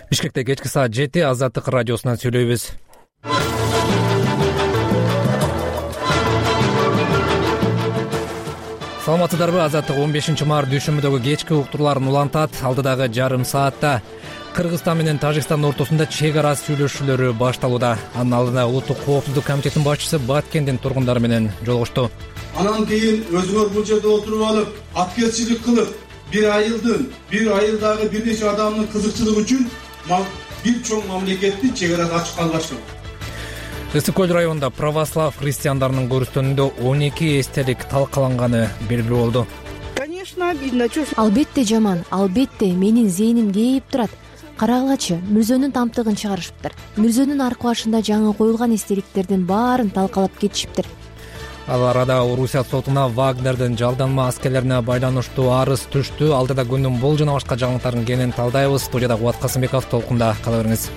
Бишкекте кечки саат 7 Азаттык радиосунан сүйлөйбүз. Саламатсыздарбы? Азаттык 15-март дүйшөмбүдөгү кечки уктурларын улантат. Алдыдагы жарым саатта Кыргызстан менен Тажикстандын ортосунда чек ара сүйлөшүүлөрү башталууда. Анын алдында Улуттук коопсуздук комитетинин башчысы Баткендин тургундары менен жолугушту. Анан кийин өзүңөр бул жерде отуруп алып, аткерчилик кылып, бир айылдагы бир нече адамдын кызыкчылыгы үчүн бир чоң мамлекетти чек араны ачып калбаштыр. Ысык көл районунда православ христиандарынын көрүстөнүндө 12 эстелик талкаланганы белгилүү болду. Конечно, обидно. Албетте жаман, албетте менин зээним кейип турат. Карагылачы, Мүрзөнүн тамтыгын чыгарышыптыр. Мүрзөнүн аркы башында жаңы коюлган эстеликтердин баарын талкалап кетишиптир. Ал арада Орусия сотуна Вагнердин жалданма аскерлерине байланыштуу арыз түштү. Алдыда күндүн бул жана башка жаңылыктарын кенен талдайбыз. Студияда Кубат Касымбеков, толкунда кала бериңиз.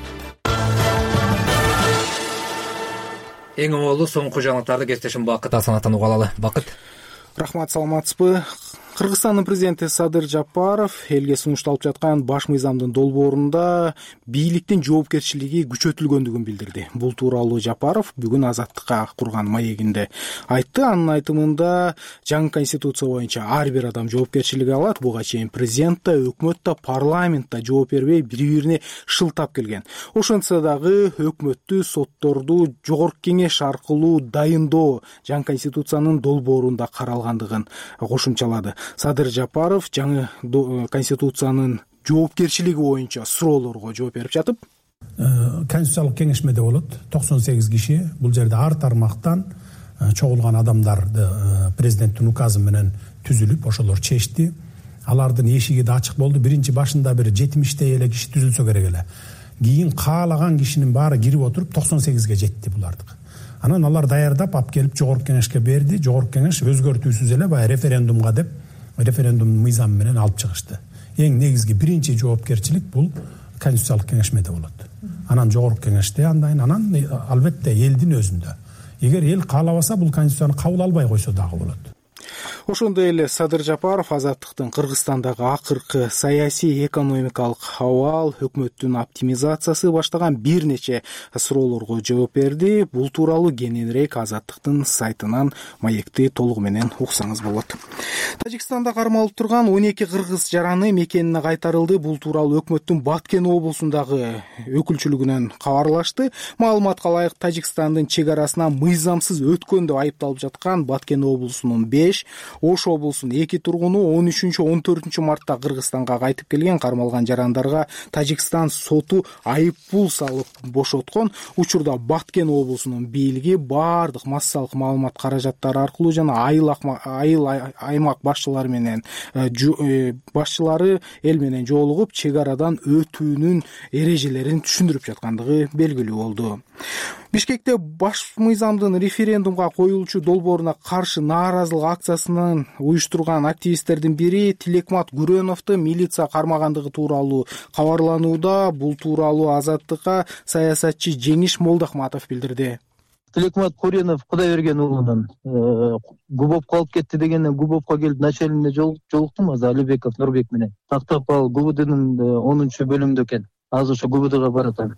Эң оңолу соңку жаңылыктарды кесиптешим Бакыт Асанаттан уга алалы. Бакыт. Рахмат, саламатсызбы? Кыргызстандын президенти Садыр Жапаров элге сунушталып жаткан баш мыйзамдын долбоорунда бийликтин жоопкерчилиги күчөтүлгөндүгүн билдирди. Бул тууралуу Жапаров бүгүн Азаттыкка курган маегинде айтты. Анын айтымында жаңы конституция боюнча ар бир адам жоопкерчилик алат. Буга чейин президент да, өкмөт да, парламент да жооп бербей бири-бирине шылтап келген. Ошентсе дагы өкмөттү, сотторду жогорку кеңеш аркылуу дайындоо жаңы конституциянын долбоорунда каралгандыгын кошумчалады. Садыр Жапаров жаңы конституциянын жоопкерчилиги боюнча суроолорго жооп берип жатып, конституциялык кеңешмеде болот 98 киши. Бул жерде ар тармактан чогулган адамдарды президенттин указы менен түзүлүп, ошолор чечти. Алардын эшиги да ачык болду. Биринчи башында бир 70 эле киши түзүлсө керек эле. Кийин каалаган кишинин баары кирип отуруп 98ге жетти булардык. Анан алар даярдап алып келип жогорку кеңешке берди. Жогорку кеңеш өзгөртүүсүз эле баягы референдумга деп референдумдун мыйзамы менен алып чыгышты. Эң негизги биринчи жоопкерчилик бул конституциялык кеңешмеде болот. Анан жогорку кеңеште анан албетте элдин өзүндө. Эгер эл каалабаса бул конституцияны кабыл албай койсо дагы болот. Ошондой эле Садыр Жапаров Азаттыктын Кыргызстандагы акыркы саясий экономикалык абал, өкмөттүн оптимизациясы баштаган бир нече суроолорго жооп берди. Бул тууралуу кененирээк Азаттыктын сайтынан маекти толугу менен уксаңыз болот. Тажикстанда кармалып турган 12 кыргыз жараны мекенине кайтарылды. Бул тууралуу өкмөттүн Баткен облусундагы өкүлчүлүгүнөн кабарлашты. Маалыматка ылайык, Тажикстандын чек арасынан мыйзамсыз өткөн деп айыпталып жаткан Баткен облусунун 5, Ош облусунун 2 тургуну 13-14 мартта Кыргызстанга кайтып келген. Кармалган жарандарга Тажикстан соту айыппул салып бошоткон. Учурда Баткен облусунун бийлиги бардык массалык маалымат каражаттары аркылуу жана айыл аймак башчылары менен башчылары эл менен жолугуп, чек арадан өтүүнүн эрежелерин түшүндүрүп жаткандыгы белгилүү болду. Бишкекте баш мыйзамдын референдумга коюлчу долбооруна каршы нааразылык акциясынан уюштурган активисттердин бири Тилекмат Гүрөновду милиция кармагандыгы тууралуу кабарланууда. Бул тууралуу Азаттыкка саясатчы Жеңиш Молдахматов билдирди. Тилекмат Гүрөнов Кудайберген уулунун Губовко алып кетти дегенден Губовко келип начальнине жолуктум азыр Алибеков Нурбек менен. Тактап ал ГУБДнын 10-бөлүмүндө экен. Азыр ошо ГУБДга баратам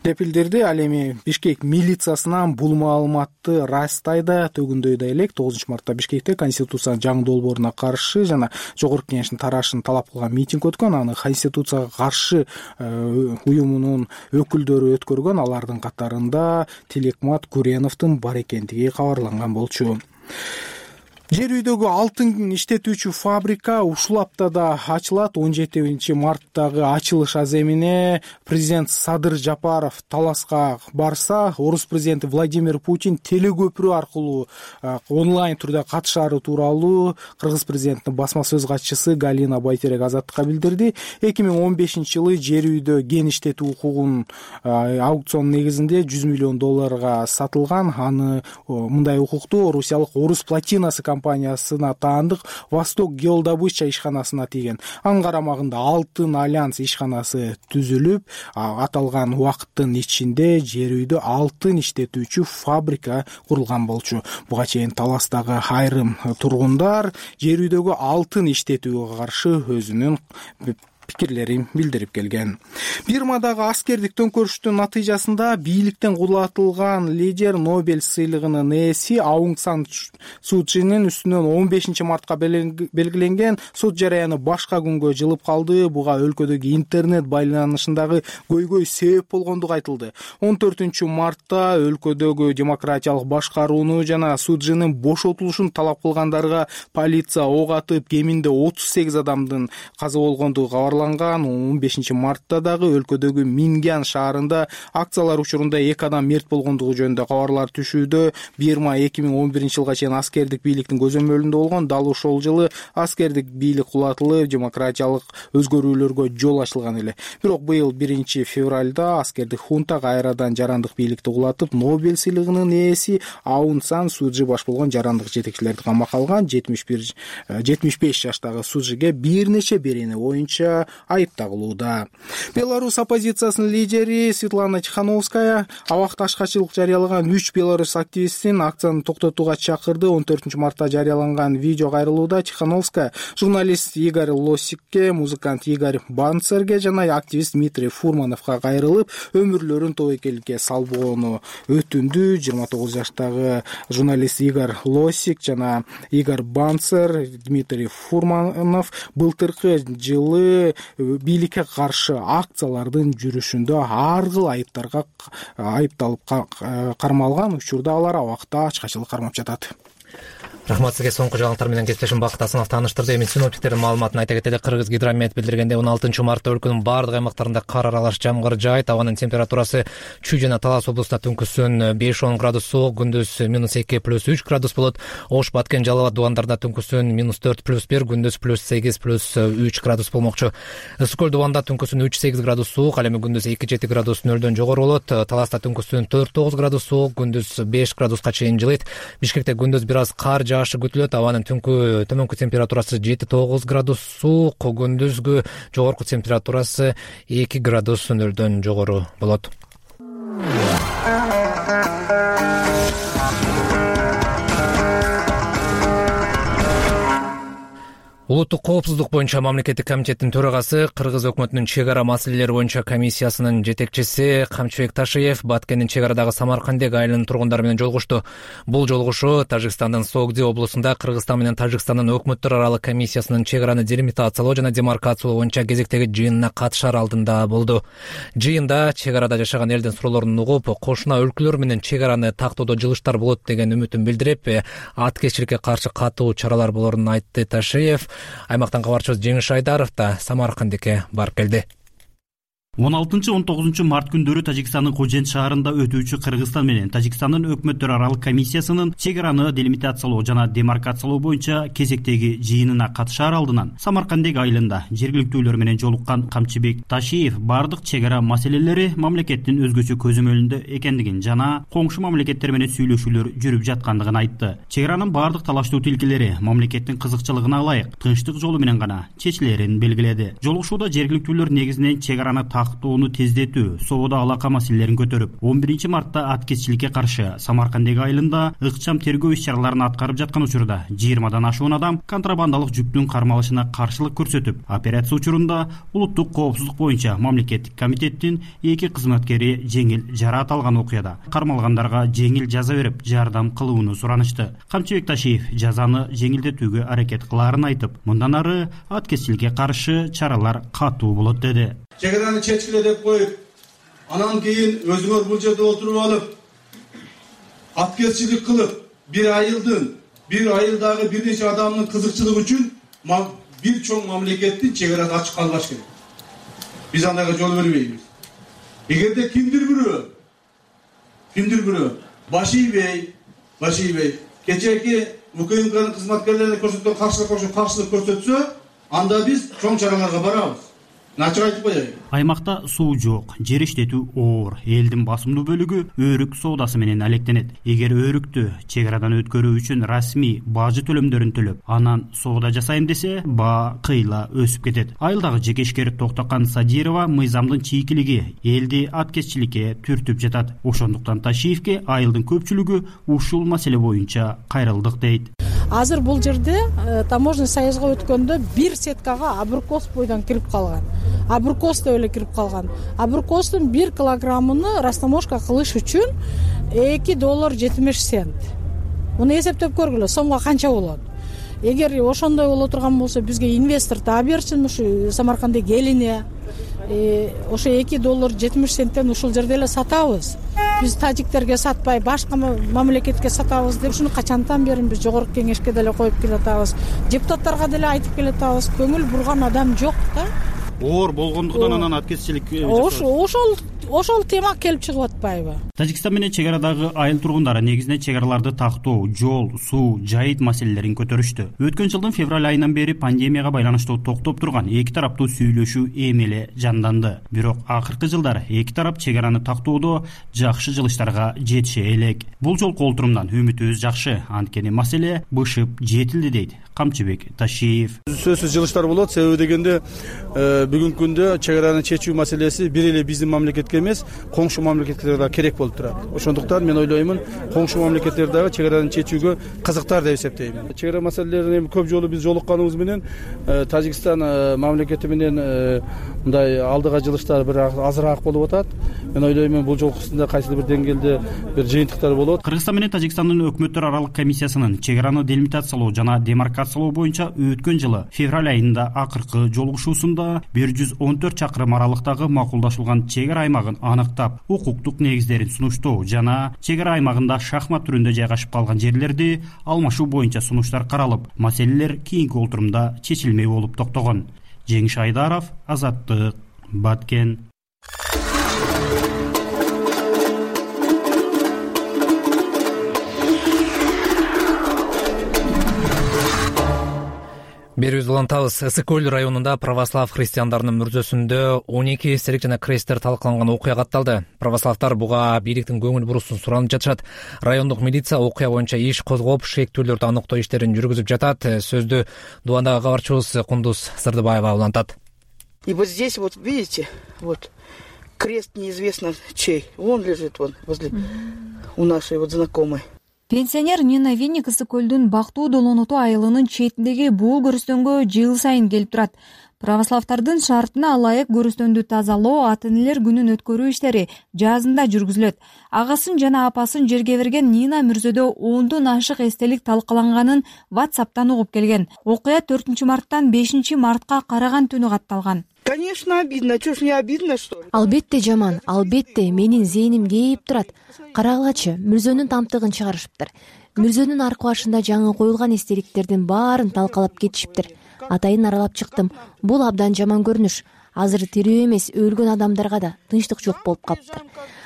деп билдирди. Ал эми Бишкек милициясынан бул маалыматты Растайда төгүндөй элек 9 мартта Бишкекте конституциянын жаңы долбооруна каршы жана жогорку кеңештин тарашын талап кылган митинг өткөн. Аны конституцияга каршы уюмунун өкүлдөрү өткөргөн. Алардын катарында Тилекмат Гүрөновдун бар экендиги кабарланган болчу. Жер үйдөгү алтын иштетүүчү фабрика ушул аптада ачылат. 17 марттагы ачылыш аземине президент Садыр Жапаров Таласка барса, орус президенти Владимир Путин телекөпүрө аркылуу онлайн түрдө катышаары тууралуу кыргыз президентинин басма сөз катчысы Галина Байтерек Азаттыкка билдирди. 2015-жылы жер үйдө кен иштетүү укугун аукцион негизинде $100 миллион сатылган. Аны мындай укукту Орусиялык Орус Платинасы компаниясына таандык Восток геодобыча ишканасына тийген. Анын карамагында Алтын Альянс ишканасы түзүлүп, аталган убакыттын ичинде жер үйдө алтын иштетүүчү фабрика курулган болчу. Буга чейин Таластагы айрым тургундар жер үйдөгү алтын иштетүүгө каршы өзүнүн пикирлерин билдирип келген. Бирмадагы аскердик төңкөрүштүн натыйжасында бийликтен кулатылган лидер Нобель сыйлыгынын ээси Аунг Сан Суу Чжинин үстүнөн 15 мартка белгиленген сот жараяны башка күнгө жылып калды. Буга өлкөдөгү интернет байланышындагы көйгөй себеп болгондугу айтылды. 14 мартта өлкөдөгү демократиялык башкарууну жана Суу Чжинин бошотулушун талап кылгандарга полиция ок атып, кеминде 38 адамдын каза болгондугу кабарланган. 15 мартта дагы өлкөдөгү Мингян шаарында акциялар учурунда 2 адам мерт болгондугу жөнүндө кабарлар түшүүдө. Бирма 2011 жылга чейин аскердик бийликтин көзөмөлүндө болгон. Дал ошол жылы аскердик бийлик кулатылып, демократиялык өзгөрүүлөргө жол ачылган эле. Бирок быйыл 1 февралда аскердик хунта кайрадан жарандык бийликти кулатып, Нобель сыйлыгынын ээси Аунг Сан Суу Чжи баш болгон жарандык жетекчилерди камакка алган. 75 жаштагы Суу Чжиге бир нече берене боюнча айып тагылууда. Беларусь оппозициясынын лидери Светлана Тихановская абакташкачылык жарыялаган 3 белорус активистин акцияны токтотууга чакырды. 14 мартта жарыяланган видео кайрылууда Тихановская журналист Игорь Лосикке, музыкант Игорь Банцерге жана активист Дмитрий Фурмановго кайрылып, өмүрлөрүн тобокеликке салбоону өтүндү. 29 жаштагы журналист Игорь Лосик жана Игорь Банцер, Дмитрий Фурманов былтыркы жылы бийликке каршы акциялардын жүрүшүндө ар кыл айыптарга айыпталып кармалган. Учурда алар абакта ачкачылык кармап жатат. Рахмат сизге. Соңку жаңылыктар менен кесиптешим Бакыт Асанов тааныштырды. Эми синоптиктердин маалыматын айта кетели. Кыргыз гидромет билдиргенде 16 мартта өлкөнүн бардык аймактарында кар аралаш жамгыр жаайт. Абанын температурасы Чүй жана Талас облустунда түнкүсүн 5-10 градус суук, күндүз -2 +3 градус болот. Ош, Баткен, Жалал абад дубандарында түнкүсүн -4 +1, күндүз +8 +3 градус болмокчу. Ысык көл дубанда түнкүсүн 3-8 градус суук, ал эми күндүз 2-7 градус нөлдөн жогору болот. Таласта түнкүсүн 4-9 градус суук, күндүз 5 градуска чейин жылыйт. Бишкекте күндүз бир аз кар жаашы күтүлөт. Абанын төмөнкү температурасы 7-9 градус суук, күндүзгү жогорку температурасы 2 градус нөлдөн жогору болот. Улуттук коопсуздук боюнча мамлекеттик комитеттин төрагасы, Кыргыз өкмөтүнүн чек ара маселелери боюнча комиссиясынын жетекчиси Камчыбек Ташиев Баткендин чек арадагы Самаркандек айылынын тургундары менен жолугушту. Бул жолугушуу Тажикстандын Согди облусунда Кыргызстан менен Тажикстандын өкмөттөр аралык комиссиясынын чек араны делимитациялоо жана демаркациялоо боюнча кезектеги жыйынына катышар алдында болду. Жыйында чек арада жашаган элдин суроолорун угуп, кошуна өлкөлөр менен чек араны тактоодо жылыштар болот деген үмүтүн билдирип, аткезчиликке каршы катуу чаралар болорун айтты Ташиев. Аймактан кабарчыбыз Жеңиш Айдаров да Самаркандекке барып келди. 16-19 март күндөрү Тажикстандын Кожент шаарында өтүүчү Кыргызстан менен Тажикстандын өкмөттөр аралык комиссиясынын чек араны делимитациялоо жана демаркациялоо боюнча кезектеги жыйынына катышар алдынан Самаркандек айылында жергиликтүүлөр менен жолуккан Камчыбек Ташиев бардык чек ара маселелери мамлекеттин өзгөчө көзөмөлүндө экендигин жана коңшу мамлекеттер менен сүйлөшүүлөр жүрүп жаткандыгын айтты. Чек аранын бардык талаштуу тилкелери мамлекеттин кызыкчылыгына ылайык тынчтык жолу менен гана чечилерин белгиледи. Жолугушууда жергиликтүүлөр негизинен чек араны тактоону тездетүү, соода алака маселелерин көтөрүп, 11 мартта аткезчиликке каршы Самаркандек айылында ыкчам тергөө иш-чараларын аткарып жаткан учурда 20дан ашуун адам контрабандалык жүктүн кармалышына каршылык көрсөтүп, операция учурунда улуттук коопсуздук боюнча мамлекеттик комитеттин 2 кызматкери жеңил жараат алган окуяда кармалгандарга жеңил жаза берип, жардам кылууну суранышты. Камчыбек Ташиев жазаны жеңилдетүүгө аракет кылаарын айтып, мындан ары аткезчиликке каршы чаралар катуу болот деди. Чек араны чечкиле деп коюп, анан кийин өзүңөр бул жерде отуруп алып, аткезчилик кылып, бир айылдагы бир нече адамдын кызыкчылыгы үчүн бир чоң мамлекеттин чек арасын ачык калбаш керек. Биз андайга жол бербейбиз. Эгерде кимдир бирөө баш ийбей кечээки УКМКнын кызматкерлерине көрсөткөн каршылык көрсөтсө, анда биз чоң чараларга барабыз. Начык айтып коеюн. Аймакта суу жок, жер иштетүү оор, элдин басымдуу бөлүгү өрүк соодасы менен алектенет. Эгер өрүктү чек арадан өткөрүү үчүн расмий бажы төлөмдөрүн төлөп, анан соода жасайм десе, баа кыйла өсүп кетет. Айылдагы жеке ишкер Токтокан Садирова мыйзамдын чийкилиги элди аткезчиликке түртүп жатат. Ошондуктан Ташиевке айылдын көпчүлүгү ушул маселе боюнча кайрылдык дейт. Азыр бул жерде таможенный союзга өткөндө бир сеткага абрикос бойдон кирип калган. Абрикос деп эле кирип калган. Абрикостун 1 килограммыны растаможка кылыш үчүн $2.70. Муну эсептеп көргүлө, сомго канча болот? Эгер ошондой боло турган болсо, бизге инвестор таап берсин, ушу Самарканддагы элине ошо $2.70 ушул жерде эле сатабыз. Биз тажиктерге сатпай, башка мамлекетке сатабыз деп ушуну качантан бери биз жогорку кеңешке деле коюп келатабыз. Депутаттарга деле айтып келатабыз. Көңүл бурган адам жок да. Оор болгондуктан анан аткезчилик ошол тема келип чыгып атпайбы? Тажикстан менен чек арадагы айыл тургундары негизинен чек араларды тактоо, жол, суу, жайыт маселелерин көтөрүштү. Өткөн жылдын февраль айынан бери пандемияга байланыштуу токтоп турган эки тараптуу сүйлөшүү эми эле жанданды. Бирок акыркы жылдары эки тарап чек араны тактоодо жакшы жылыштарга жетише элек. Бул жолку олтурумдан үмүтүбүз жакшы, анткени маселе бышып жетилди дейт Камчыбек Ташиев. Сөзсүз жылыштар болот, себеби дегенде бүгүнкү күндө чек араны чечүү маселеси бир эле биздин мамлекетке эмес, коңшу мамлекеттерге да керек болуп турат. Ошондуктан мен ойлоймун, коңшу мамлекеттер дагы чек араны чечүүгө кызыктар деп эсептейм. Чек ара маселелерин эми көп жолу биз жолукканыбыз менен Тажикстан мамлекети менен мындай алдыга жылыштар бир азыраак болуп атат. Мен ойлоймун, бул жолкусунда кайсыдыр бир деңгээлде бир жыйынтыктар болот. Кыргызстан менен Тажикстандын өкмөттөр аралык комиссиясынын чек араны делимитациялоо жана демаркациялоо боюнча өткөн жылы февраль айында акыркы жолугушуусунда 114 чакырым аралыктагы макулдашылган чек ара аймагын аныктап, укуктук негиздерин сунуштоо жана чек ара аймагында шахмат түрүндө жайгашып калган жерлерди алмашуу боюнча сунуштар каралып, маселелер кийинки олтурумда чечилмей болуп токтогон. Жеңиш Айдаров, Азаттык, Баткен. Берүүбүздү улантабыз. Ысык көл районунда православ христиандарынын мүрзөсүндө 12 эстелик жана кресттер талкаланган окуя катталды. Православдар буга бийликтин көңүл бурусун суранып жатышат. Райондук милиция окуя боюнча иш козгоп, шектүүлөрдү аныктоо иштерин жүргүзүп жатат. Сөздү Дубандагы кабарчыбыз Кундуз Сырдыбаева улантат. И вот здесь вот видите, вот крест неизвестно чей. Вон лежит вон возле у нашей вот знакомой. Пенсионер Нина Винник Ысык көлдүн Бактуу Долоноту айылынын четиндеги бул көрүстөнгө жыл сайын келип турат. Православдардын шартына ылайык көрүстөндү тазалоо, ата-энелер күнүн өткөрүү иштери жазында жүргүзүлөт. Агасын жана апасын жерге берген Нина мүрзөдө 10дон ашык эстелик талкаланганын WhatsApp'тан угуп келген. Окуя 4-марттан 5-мартка караган түнү катталган. Конечно, обидно. Чё ж не обидно, что ли? Албетте жаман, албетте менин зээним кейип турат. Карагылачы, мүрзөнүн тамтыгын чыгарышыптыр. Мүрзөнүн аркы башында жаңы коюлган эстеликтердин баарын талкалап кетишиптир. Атайын аралап чыктым. Бул абдан жаман көрүнүш. Азыр тирүү эмес, өлгөн адамдарга да тынчтык жок болуп калыптыр.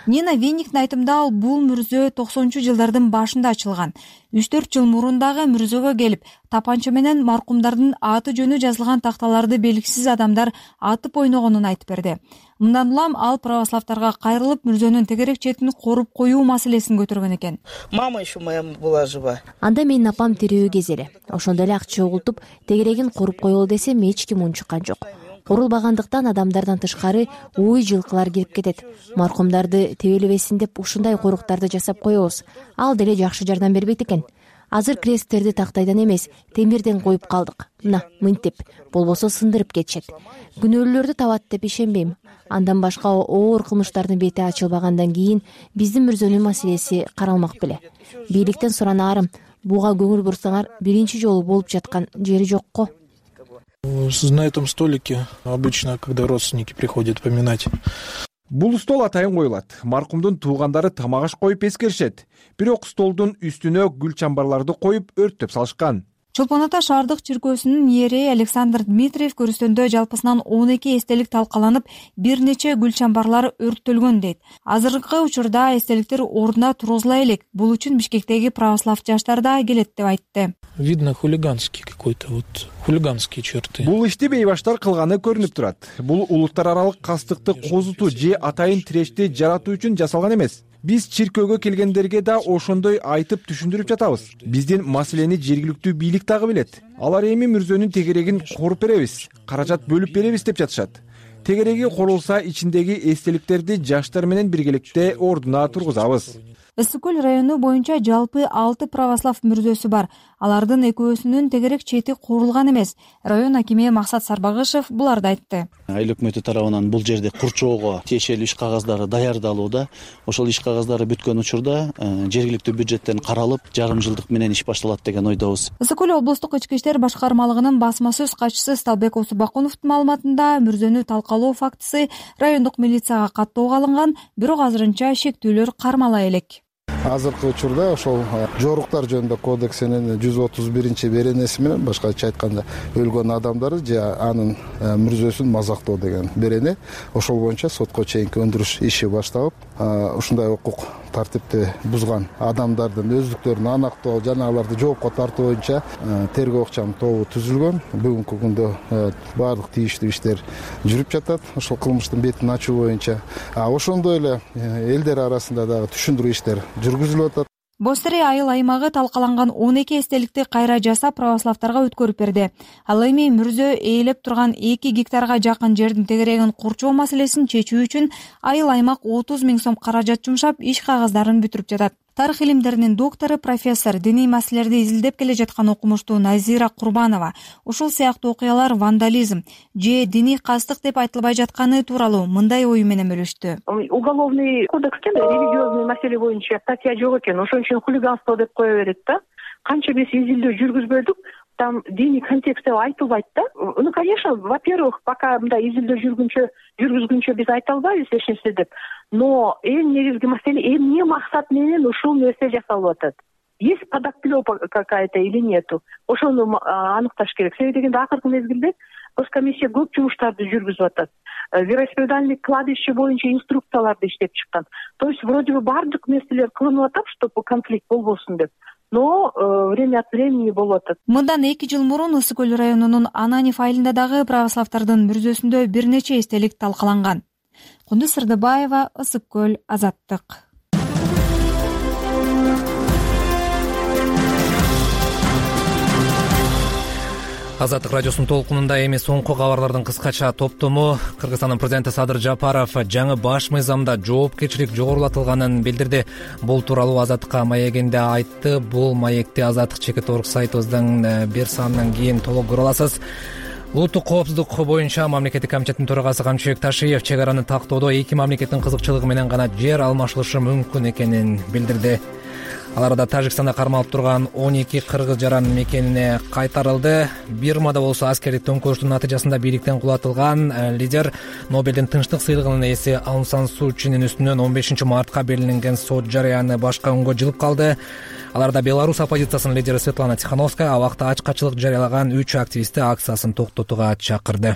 Нина Винниктин айтымында бул мүрзө 90-жылдардын башында ачылган. 3-4 жыл мурун дагы мүрзөгө келип, тапанча менен маркумдардын аты жөнү жазылган такталарды белгисиз адамдар атып ойногонун айтып берди. Мындан улам ал православдарга кайрылып, мүрзөнүн тегерек четин коруп коюу маселесин көтөргөн экен. Мама еще моя была жива. Анда менин апам тирүү кезели. Ошондо эле акча угултуп, тегерегин коруп коелу десем эч ким унчуккан жок. Корулбагандыктан адамдардан тышкары уй жылкылар кирип кетет. Маркумдарды тебелебесин деп ушундай коруктарды жасап коебуз. Ал деле жакшы жардам бербейт экен. Азыр кресттерди тактайдан эмес, темирден коюп калдык. Мына, мынтип, болбосо сындырып кетишет. Күнөөлүүлөрдү табат деп ишенбейм. Андан башка оор кылмыштардын бети ачылбагандан кийин биздин мүрзөнүн маселеси каралмак беле. Бийликтен суранаарым, буга көңүл бурсаңар, биринчи жолу болуп жаткан жери жокко. На этом столике обычно, когда родственники приходят поминать. Бул стол атайын коюлат. Маркумдун туугандары тамак аш коюп эскеришет. Бирок столдун үстүнө гүл чамбарларды коюп өрттөп салышкан. Чолпон Ата шаардык чиркөөсүнүн иереи Александр Дмитриев көрүстөндө жалпысынан 12 эстелик талкаланып, бир нече гүл чамбарлар өрттөлгөн дейт. Азыркы учурда эстеликтер ордуна тургузула элек. Бул үчүн Бишкектеги православ жаштар да келет деп айтты. Видно хулиганский какой-то, вот хулиганские черты. Бул ишти бейбаштар кылганы көрүнүп турат. Бул улуттар аралык кастыкты козутуу же атайын тирешти жаратуу үчүн жасалган эмес. Биз чиркөөгө келгендерге да ошондой айтып түшүндүрүп жатабыз. Биздин маселени жергиликтүү бийлик дагы билет. Алар эми мүрзөнүн тегерегин коруп беребиз, каражат бөлүп беребиз деп жатышат. Тегереги корулса ичиндеги эстеликтерди жаштар менен биргеликте ордуна тургузабыз. Ысык көл району боюнча жалпы 6 православ мүрзөсү бар. Алардын экөөсүнүн тегерек чети курулган эмес. Район акими Максат Сарбагышев буларды айтты. Айыл өкмөтү тарабынан бул жерде курчоого тиешелүү иш кагаздары даярдалууда. Ошол иш кагаздары бүткөн учурда жергиликтүү бюджеттен каралып, жарым жылдык менен иш башталат деген ойдобуз. Ысык көл облустук ички иштер башкармалыгынын басма сөз катчысы Сталбек Осубакуновдун маалыматында мүрзөнү талкалоо фактысы райондук милицияга каттоого алынган, бирок азырынча шектүүлөр кармала элек. Азыркы учурда ошол жоруктар жөнүндө кодексинин 131 беренеси менен, башкача айтканда, өлгөн адамдары же анын мүрзөсүн мазактоо деген берене, ошол боюнча сотко чейинки өндүрүш иши башталып, ушундай укук тартипти бузган адамдардын өздүктөрүн анактоо жана аларды жоопко тартуу боюнча тергөө ыкчам тобу түзүлгөн. Бүгүнкү күндө баардык тийиштүү иштер жүрүп жатат ошол кылмыштын бетин ачуу боюнча. Ошондой эле элдер арасында дагы түшүндүрүү иштер жүргүзүлүп атат. Бостере айыл аймагы талкаланган 12 эстеликти кайра жасап православдарга өткөрүп берди. Ал эми мүрзө ээлеп турган 2 гектарга жакын жердин тегерегин курчоо маселесин чечүү үчүн айыл аймак 30 000 сом каражат жумшап, иш кагаздарын бүтүрүп жатат. Тарых илимдеринин доктору, профессор, диний маселелерди изилдеп келе жаткан окумуштуу Назира Курбанова ушул сыяктуу окуялар вандализм же диний кастык деп айтылбай жатканы тууралуу мындай ою менен бөлүштү. Уголовный кодексте религиозный маселе боюнча статья жок экен, ошон үчүн хулиганство деп кое берет да. Канча биз изилдөө жүргүзбөдүк, там диний контекст деп айтылбайт да. Ну, конечно, во-первых, пока мындай изилдөө жүргүзгүнчө биз айта албайбыз эч нерсе деп. Но эң негизги маселе эмне максат менен ушул нерсе жасалып атат? Есть подоплёка какая-то или нету? Ошону аныкташ керек. Себеби дегенде акыркы мезгилде Госкомиссия көп жумуштарды жүргүзүп атат. Вероисповедальный кладбище боюнча инструкцияларды иштеп чыккан. То есть вроде бы бардык нерселер кылынып атат, чтобы конфликт болбосун деп. Но время от времени болуп атат. Мындан 2 жыл мурун Ысык көл районунун Ананев айылында дагы православдардын мүрзөсүндө бир нече эстелик талкаланган. Кундуз Сырдыбаева, Ысык көл, Азаттык. Азаттык радиосунун толкунунда эми соңку кабарлардын кыскача топтому. Кыргызстандын президенти Садыр Жапаров жаңы баш мыйзамда жоопкерчилик жогорулатылганын билдирди. Бул тууралуу Азаттыкка маегинде айтты. Бул маекти Азаттык чекит.org сайтыбыздын бир санынан кийин толук көрө аласыз. Улуттук коопсуздук боюнча мамлекеттик комитеттин төрагасы Камчыбек Ташиев чек араны тактоодо эки мамлекеттин кызыкчылыгы менен гана жер алмашылышы мүмкүн экенин билдирди. Аларда Тажикстанда кармалып турган 12 кыргыз жаран мекенине кайтарылды. Бирмада болсо аскердик төңкөрүштүн натыйжасында бийликтен кулатылган лидер Нобелдин тынчтык сыйлыгынын ээси Аун Сан Суу Чинин үстүнөн 15 мартка белгиленген сот жарыяны башка күнгө жылып калды. Аларда Беларусь оппозициясынын лидери Светлана Тихановская абакта ачкачылык жарыялаган 3 активистти акциясын токтотууга чакырды.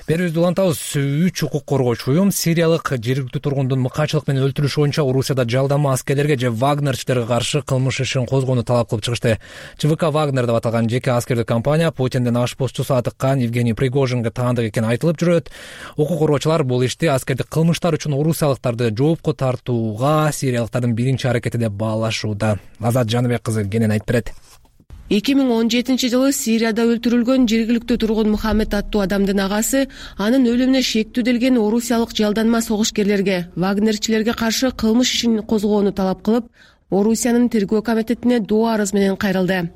Берүүбүздү улантабыз. 3 укук коргоочу уюм сириялык жергиликтүү тургундун мыкаачылык менен өлтүрүшү боюнча Орусияда жалдама аскерлерге же вагнерчилерге каршы кылмыш ишин козгоону талап кылып чыгышты. ЧВК Вагнер деп аталган жеке аскердик компания Путиндин ашпозчусу атыккан Евгений Пригожинге таандык экени айтылып жүрөт. Укук коргоочулар бул ишти аскердик кылмыштар үчүн орусиялыктарды жоопко тартууга сириялыктардын биринчи аракети деп баалашууда. Азат Жаныбек кызы кенен айтып берет. 2017 жылы Сирияда өлтүрүлгөн жергиликтүү тургун Мухаммед аттуу адамдын агасы анын өлүмүнө шектүүделген орусиялык жалданма согушкерлерге, вагнерчилерге каршы кылмыш ишин козгоону талап кылып, Орусиянын тергөө комитетине доо арыз менен кайрылды.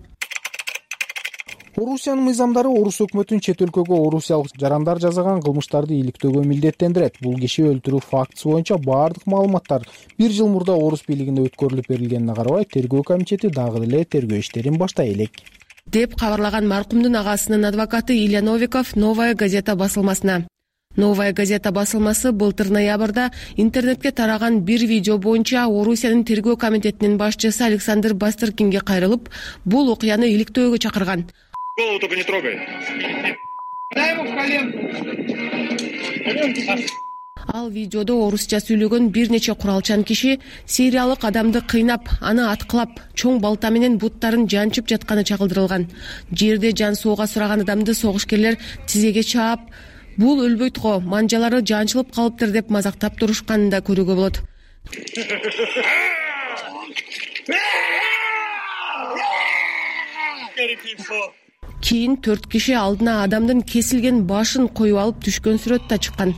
Орусиянын мыйзамдары орус өкмөтүн чет өлкөгө орусиялык жарандар жасаган кылмыштарды иликтөөгө милдеттендирет. Бул киши өлтүрүү фактысы боюнча баардык маалыматтар 1 жыл мурда орус бийлигинде өткөрүлүп берилгенине карабай, тергөө комитети дагы деле тергөө иштерин баштай элек деп кабарлаган маркумдун агасынын адвокаты Илья Новиков Новая газета басылмасына. Новая газета басылмасы былтыр ноябрда интернетке тараган бир видео боюнча Орусиянын тергөө комитетинин башчысы Александр Бастрыкинге кайрылып, бул окуяны иликтөөгө чакырган. Голову только не трогай. Дай ему в коленку. Ал видеодо орусча сүйлөгөн бир нече куралчан киши сириялык адамды кыйнап, аны аткылап, чоң балта менен буттарын жанчып жатканы чагылдырылган. Жерде жан соого сураган адамды согушкерлер тизеге чаап, бул өлбөйт го, манжалары жанчылып калыптыр деп мазактап турушканын да көрүүгө болот. Кийин 4 киши алдына адамдын кесилген башын коюп алып түшкөн сүрөт да чыккан.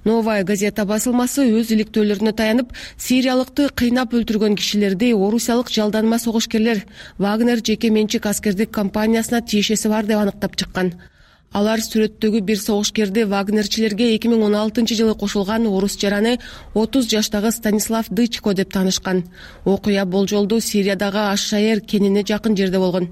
Новая газета басылмасы өз иликтөөлөрүнө таянып, сириялыкты кыйнап өлтүргөн кишилерди орусиялык жалданма согушкерлер Вагнер жеке менчик аскердик компаниясына тиешеси бар деп аныктап чыккан. Алар сүрөттөгү бир согушкерди Вагнерчилерге 2016-жылы кошулган орус жараны 30 жаштагы Станислав Дычко деп таанышкан. Окуя болжолдуу Сириядагы Аш-Шаер кенине жакын жерде болгон.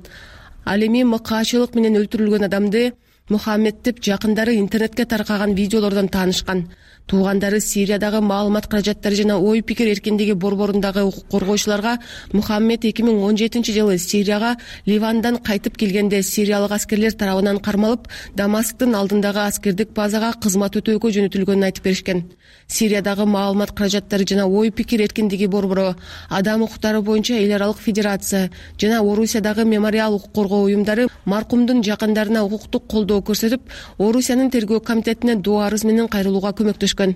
Ал эми МКчылык менен өлтүрүлгөн адамды Мухаммед деп жакындары интернетке таркаган видеолордон таанышкан. Туугандары Сириядагы маалымат каражаттары жана ой пикир эркиндиги борборундагы укук коргоочуларга Мухаммед 2017-жылы Сирияга Ливандан кайтып келгенде сириялык аскерлер тарабынан кармалып, Дамасктын алдындагы аскердик базага кызмат өтөөгө жөнөтүлгөнүн айтып беришкен. Сириядагы маалымат каражаттары жана ой пикир эркиндиги борбору, адам укуктары боюнча эл аралык федерация жана Орусиядагы мемориал укук коргоо уюмдары маркумдун жакындарына укуктук колдоо көрсөтүп, Орусиянын тергөө комитетине доо арыз менен кайрылууга көмөктөшкөн.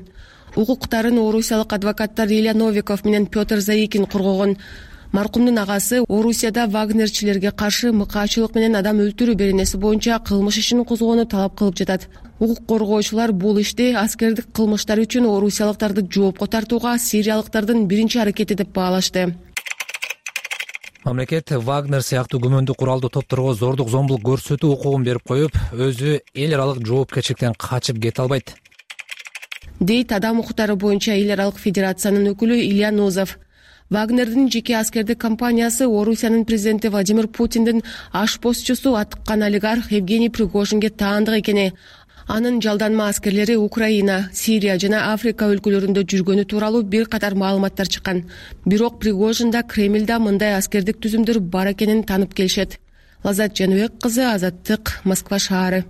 Укуктарын орусиялык адвокаттар Илья Новиков менен Петр Заикин коргогон. Маркумдун агасы Орусияда Вагнерчилерге каршы МКчылык менен адам өлтүрүү беренеси боюнча кылмыш ишин козгоону талап кылып жатат. Укук коргоочулар бул ишти аскердик кылмыштар үчүн орусиялыктарды жоопко тартууга сириялыктардын биринчи аракети деп баалашты. Мамлекет Вагнер сыяктуу күмөндүү куралдуу топторго зордук зомбулук көрсөтүү укугун берип коюп, өзү эл аралык жоопкерчиликтен качып кете албайт, дейт адам укуктары боюнча эл аралык федерациянын өкүлү Илья Нозов. Вагнердин жеке аскердик компаниясы Орусиянын президенти Владимир Путиндин ашпозчусу атыккан олигарх Евгений Пригожинге таандык экени, анын жалданма аскерлери Украина, Сирия жана Африка өлкөлөрүндө жүргөнү тууралуу бир катар маалыматтар чыккан. Бирок Пригожинда Кремльда мындай аскердик түзүмдөр бар экенин таанып келишет. Лазат Жаныбек кызы, Азаттык, Москва шаары.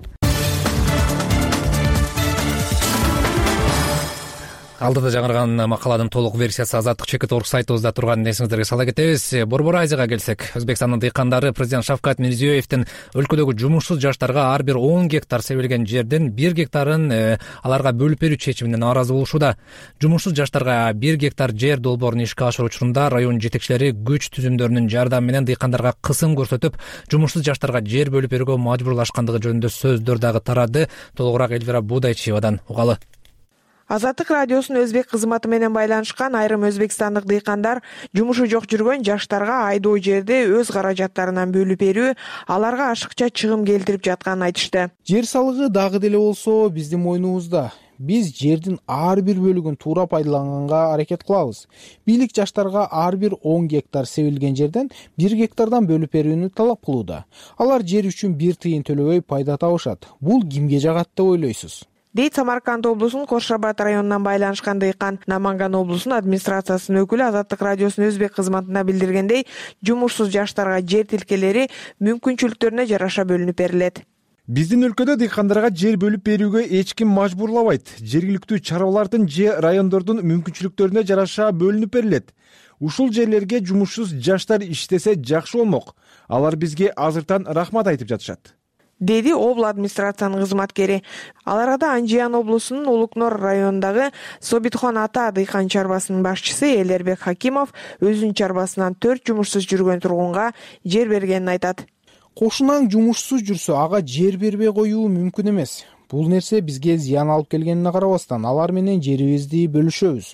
Алдыда жаңырган макаладын толук версиясы Азаттык Чекит.орг сайтыбызда турганын эсиңиздерге сала кетебиз. Борбор Азияга келсек, Өзбекстандын дыйкандары президент Шавкат Мирзиёевдин өлкөдөгү жумушсуз жаштарга ар бир 10 гектар себилген жерден 1 гектарын аларга бөлүп берүү чечимине нааразы болушууда. Жумушсуз жаштарга 1 гектар жер долбоорун ишке ашыруу учурунда район жетекчилери күч түзүмдөрүнүн жардамы менен дыйкандарга кысым көрсөтүп, жумушсуз жаштарга жер бөлүп берүүгө мажбурлашкандыгы жөнүндө сөздөр дагы тарады. Толугураак Эльвира Будайчиевадан угалы. Азаттык радиосунун өзбек кызматы менен байланышкан айрым өзбекстандык дыйкандар жумушу жок жүргөн жаштарга айдоо жерди өз каражаттарынан бөлүп берүү аларга ашыкча чыгым келтирип жатканын айтышты. Жер салыгы дагы деле болсо биздин мойнубузда. Биз жердин ар бир бөлүгүн туура пайдаланганга аракет кылабыз. Бийлик жаштарга ар бир 10 гектар себилген жерден 1 гектардан бөлүп берүүнү талап кылууда. Алар жер үчүн 1 тыйын төлөбөй пайда табышат. Бул кимге жагат деп ойлойсуз? Дейт Самарканд облусунун Кошрабад районунан байланышкан дыйкан. Наманган облусунун администрациясынын өкүлү Азаттык радиосунун өзбек кызматына билдиргендей, жумушсуз жаштарга жер тилкелери мүмкүнчүлүктөрүнө жараша бөлүнүп берилет. Биздин өлкөдө дыйкандарга жер бөлүп берүүгө эч ким мажбурлабайт. Жергиликтүү чарбалардын же райондордун мүмкүнчүлүктөрүнө жараша бөлүнүп берилет. Ушул жерлерге жумушсуз жаштар иштесе жакшы болмок. Алар бизге азыртан рахмат айтып жатышат, деди обл администрациянын кызматкери. Аларада Анжиян облусунун Улукнор районундагы Собитхон Ата дыйкан чарбасынын башчысы Элербек Хакимов өзүнүн чарбасынан 4 жумушсуз жүргөн тургунга жер бергенин айтат. Кошунаң жумушсуз жүрсө, ага жер бербей коюу мүмкүн эмес. Бул нерсе бизге зыян алып келгенине карабастан, алар менен жерибизди бөлүшөбүз.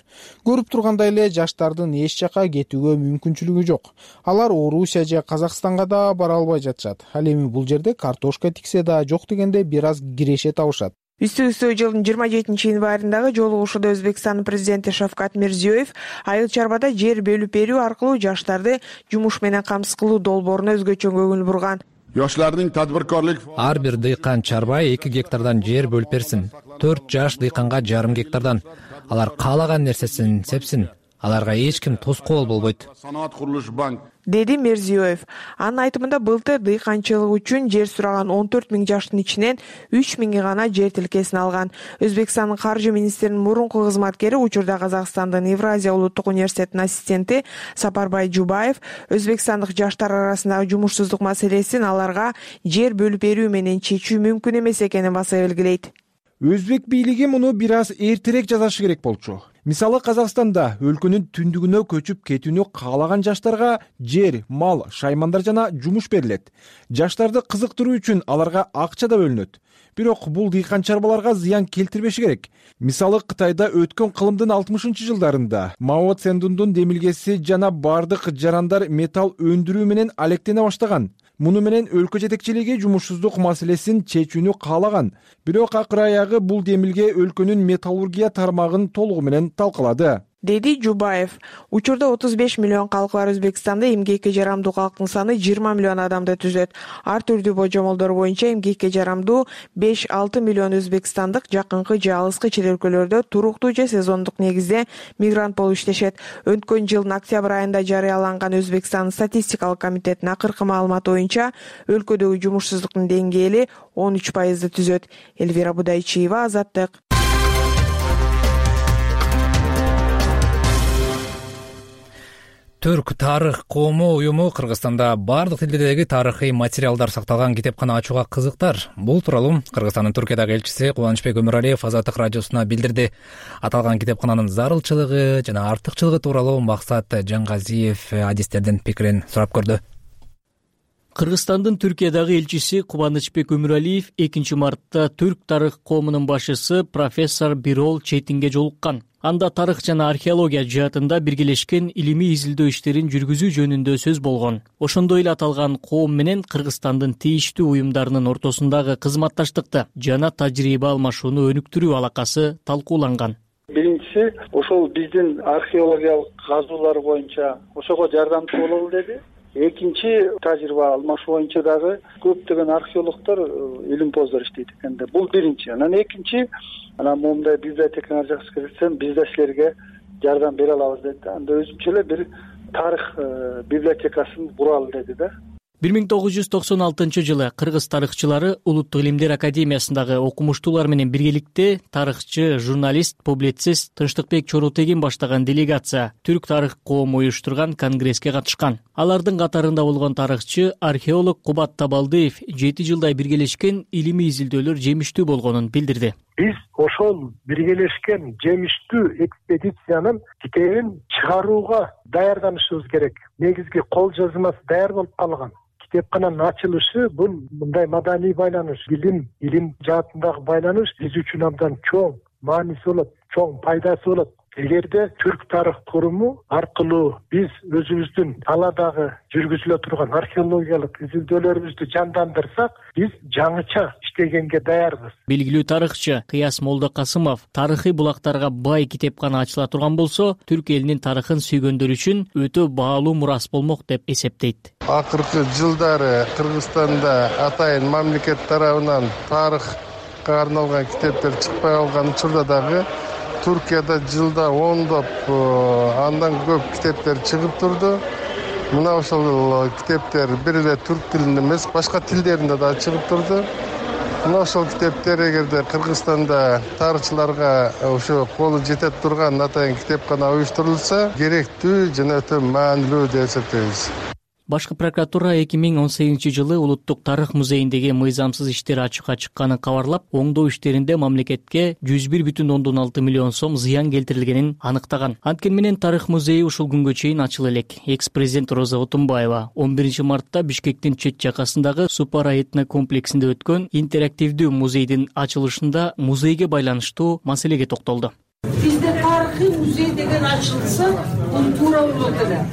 Көрүп тургандай эле жаштардын эч жака кетүүгө мүмкүнчүлүгү жок. Алар Орусия же Казакстанга да бара албай жатышат. Ал эми бул жерде картошка тиксе да жок дегенде бир аз киреше табышат. Үстү-үстү жылдын 27-январындагы жолугушууда Өзбекстандын президенти Шавкат Мирзиёев Айыл чарбада жер бөлүп берүү аркылуу жаштарды жумуш менен камсыз кылуу долбооруна өзгөчө көңүл бурган. Ар бир дыйкан чарба 2 гектардан жер бөлүп берсин. 4 жаш дыйканга жарым гектардан. Алар каалаган нерсесин сепсин. Аларга эч ким тоскоол болбойт, деди Мирзиёев. Анын айтымында былтыр дыйканчылык үчүн жер сураган 14 000 жаштын ичинен 3 000 гана жер тилкесин алган. Өзбекстандын каржы министринин мурунку кызматкери, учурда Казакстандын Евразия улуттук университетинин ассистенти Сапарбай Жубаев өзбекстандык жаштар арасындагы жумушсуздук маселесин аларга жер бөлүп берүү менен чечүү мүмкүн эмес экенин баса белгилейт. Өзбек бийлиги муну бир аз эртерээк жасашы керек болчу. Мисалы Казакстанда өлкөнүн түндүгүнө көчүп кетүүнү каалаган жаштарга жер, мал, шаймандар жана жумуш берилет. Жаштарды кызыктыруу үчүн аларга акча да бөлүнөт. Бирок бул дыйкан чарбаларга зыян келтирбеши керек. Мисалы Кытайда өткөн кылымдын 60-жылдарында Мао Цзедундун демилгеси жана бардык жарандар металл өндүрүү менен алектене баштаган. Муну менен өлкө жетекчилиги жумушсуздук маселесин чечүүнү каалаган. Бирок акыр аягы бул демилге өлкөнүн металлургия тармагын толугу менен талкалады, деди Жубаев. Учурда 35 миллион калкы бар Өзбекстанда эмгекке жарамдуу калктын саны 20 миллион адамды түзөт. Ар түрдүү божомолдор боюнча эмгекке жарамдуу 5-6 миллион өзбекстандык жакынкы же алыскы чет өлкөлөрдө туруктуу же сезондук негизде мигрант болуп иштешет. Өткөн жылдын октябрь айында жарыяланган Өзбекстандын статистикалык комитетинин акыркы маалыматы боюнча өлкөдөгү жумушсуздуктун деңгээли 13% түзөт. Элвира Будайчиева, Азаттык. Түрк тарых коому уюму Кыргызстанда бардык тилдердеги тарыхый материалдар сакталган китепкана ачууга кызыктар. Бул тууралуу Кыргызстандын Түркиядагы элчиси Кубанычбек Өмүралиев Азаттык радиосуна билдирди. Аталган китепкананын зарылчылыгы жана артыкчылыгы тууралуу Максат Жаңгазиев адистердин пикирин сурап көрдү. Кыргызстандын Түркиядагы элчиси Кубанычбек Өмүралиев 2 мартта түрк тарых коомунун башчысы профессор Бирол Четинге жолуккан. Анда тарых жана археология жаатында биргелешкен илимий изилдөө иштерин жүргүзүү жөнүндө сөз болгон. Ошондой эле аталган коом менен Кыргызстандын тийиштүү уюмдарынын ортосундагы кызматташтыкты жана тажрыйба алмашууну өнүктүрүү алакасы талкууланган. Биринчиси, ошол биздин археологиялык казуулар боюнча ошого жардамчы бололу деди. Экинчи, тажрыйба алмашуу боюнча дагы көптөгөн археологдор, илимпоздор иштейт экен да. Бул биринчи. Анан экинчи, моундай библиотекаңар жакшы кирсем, биз да силерге жардам бере алабыз деди да. Анда өзүнчө эле бир тарых библиотекасын куралы деди да. 1996-жылы кыргыз тарыхчылары Улуттук илимдер академиясындагы окумуштуулар менен биргеликте тарыхчы, журналист, публицист Тынчтыкбек Чоротегин баштаган делегация түрк тарых коому уюштурган конгресске катышкан. Алардын катарында болгон тарыхчы, археолог Кубат Табалдиев 7 жылдай биргелешкен илимий изилдөөлөр жемиштүү болгонун билдирди. Биз ошол биргелешкен жемиштүү экспедициянын китебин чыгарууга даярданышыбыз керек. Негизги кол жазмасы даяр болуп калган. Китепкананын ачылышы бул мындай маданий байланыш, илим жаатындагы байланыш биз үчүн абдан чоң мааниси болот, чоң пайдасы болот. Эгерде түрк тарых форуму аркылуу биз өзүбүздүн талаадагы жүргүзүлө турган археологиялык изилдөөлөрүбүздү жандандырсак, биз жаңыча иштегенге даярбыз. Белгилүү тарыхчы Кыяс Молдокасымов тарыхый булактарга бай китепкана ачыла турган болсо, түрк элинин тарыхын сүйгөндөр үчүн өтө баалуу мурас болмок деп эсептейт. Акыркы жылдары Кыргызстанда атайын мамлекет тарабынан тарыхка арналган китептер чыкпай калган учурда дагы Түркияда жылда ондоп, андан көп китептер чыгып турду. Мына ошол китептер бир эле түрк тилинде эмес, башка тилдеринде да чыгып турду. Мына ошол китептер эгерде Кыргызстанда тарыхчыларга ошо колу жетет турган атайын китепкана уюштурулса, керектүү жана өтө маанилүү деп эсептейбиз. Башкы прокуратура 2018-жылы Улуттук тарых музейиндеги мыйзамсыз иштер ачыкка чыкканын кабарлап, оңдоо иштеринде мамлекетке 101,6 миллион сом зыян келтирилгенин аныктаган. Анткени менен тарых музейи ушул күнгө чейин ачыла элек. Экс-президент Роза Отунбаева 11 мартта Бишкектин чет жакасындагы Супара этно комплексинде өткөн интерактивдүү музейдин ачылышында музейге байланыштуу маселеге токтолду. Бизде тарыхый музей деген ачылса, бул туура болот эле.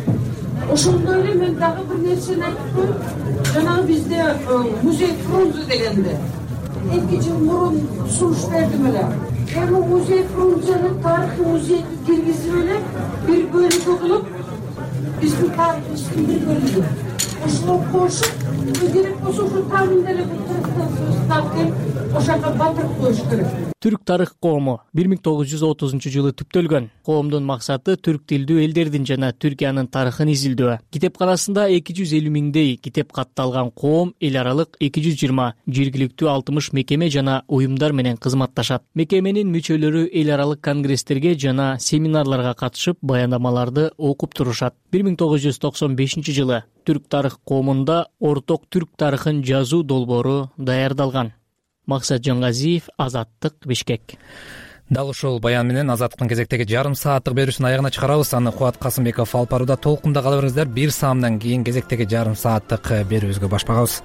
Ошондой эле мен дагы бир нерсени айтып коеюн. Жанагы бизде музей Фрунзе дегенде 2 жыл мурун сунуш бердим эле. Эми музей Фрунзени тарыхый музейге киргизип эле бир бөлүгү кылып, биздин тарыхыбыздын бир бөлүгү. Ошого кошуп, керек болсо ушу тамын деле ошого батырып коюш керек. Түрк тарых коому 1930-жылы түптөлгөн. Коомдун максаты түрк тилдүү элдердин жана Түркиянын тарыхын изилдөө. Китепканасында 250 миңдей китеп катталган коом эл аралык 220 жергиликтүү 60 мекеме жана уюмдар менен кызматташат. Мекеменин мүчөлөрү эл аралык конгресстерге жана семинарларга катышып, баяндамаларды окуп турушат. 1995-жылы түрк тарых коомунда орток түрк тарыхын жазуу долбоору даярдалган. Максат Жаңгазиев, Азаттык, Бишкек. Дал ушул баян менен Азаттыктын кезектеги жарым сааттык берүүсүн аягына чыгарабыз. Аны Кубат Касымбеков алып барууда. Толкунда кала бериңиздер. 1 саамдан кийин кезектеги жарым сааттык берүүбүзгө баш багабыз.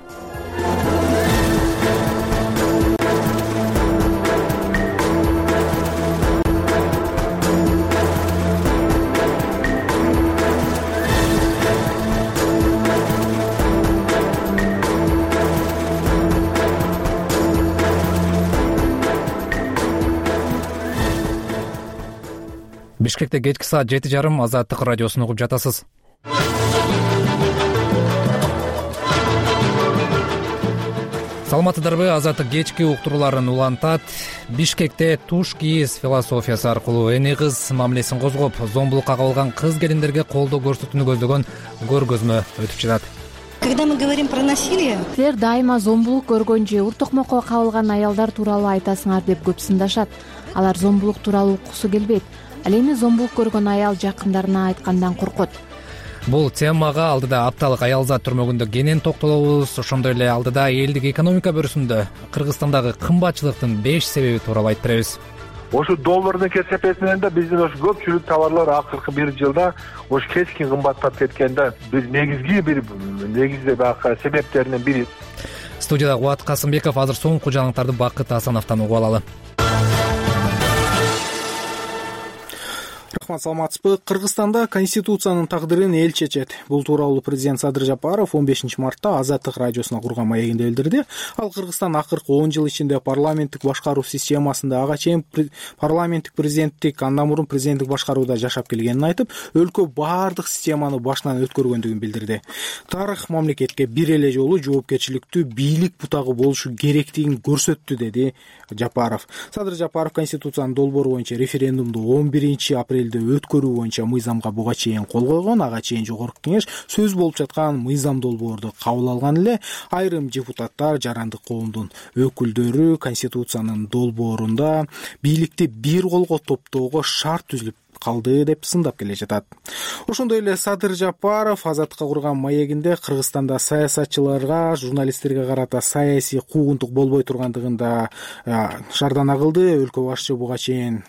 Бишкекте кечки саат 7:30 Азаттык радиосун угуп жатасыз. Саламатсыздарбы? Азаттык кечки уктурууларын улантат. Бишкекте туш кийиз философиясы аркылуу эне кыз мамилесин козгоп, зомбулукка кабылган кыз келиндерге колдоо көрсөтүүнү көздөгөн көргөзмө өтүп жатат. Когда мы говорим про насилие, силер дайыма зомбулук көргөн же ур токмокко кабылган аялдар тууралуу айтасыңар деп көп сындашат. Алар зомбулук тууралуу уккусу келбейт. Ал эми зомбулук көргөн аял жакындарына айткандан коркот. Бул темага алдыда апталык аялзат түрмөгүндө кенен токтолобуз. Ошондой эле алдыда элдик экономика бөлүсүндө Кыргызстандагы кымбатчылыктын 5 себеби тууралуу айтып беребиз. Ошо доллардын кесепеси менен да биздин ошо көпчүлүк товарлар акыркы 1 жылда ошо кескин кымбаттап кеткен да. Бир негизги баягы себептеринин бири. Студияда Кубат Касымбеков. Азыр соңку жаңылыктарды Бакыт Асановдон угуп алалы. Рахмат, саламатсызбы? Кыргызстанда конституциянын тагдырын эл чечет. Бул тууралуу президент Садыр Жапаров 15 мартта Азаттык радиосуна курган маегинде билдирди. Ал Кыргызстан акыркы 10 жыл ичинде парламенттик башкаруу системасында ага чейин парламенттик президенттик, андан мурун президенттик башкарууда жашап келгенин айтып, өлкө баардык системаны башынан өткөргөндүгүн билдирди. Тарых мамлекетке бир эле жолу жоопкерчиликтүү бийлик бутагы болушу керектигин көрсөттү, деди Жапаров. Садыр Жапаров конституциянын долбоору боюнча референдумду 11 апрелде өткөрүү боюнча мыйзамга буга чейин кол койгон. Ага чейин Жогорку Кеңеш сөз болуп жаткан мыйзам долбоорду кабыл алган эле. Айрым депутаттар, жарандык коомдун өкүлдөрү конституциянын долбоорунда бийликти бир колго топтоого шарт түзүлүп калды деп сындап келе жатат. Ошондой эле Садыр Жапаров Азаттыкка курган маегинде Кыргызстанда саясатчыларга, журналисттерге карата саясий куугунтук болбой тургандыгында шаардана кылды. Өлкө башчы буга чейин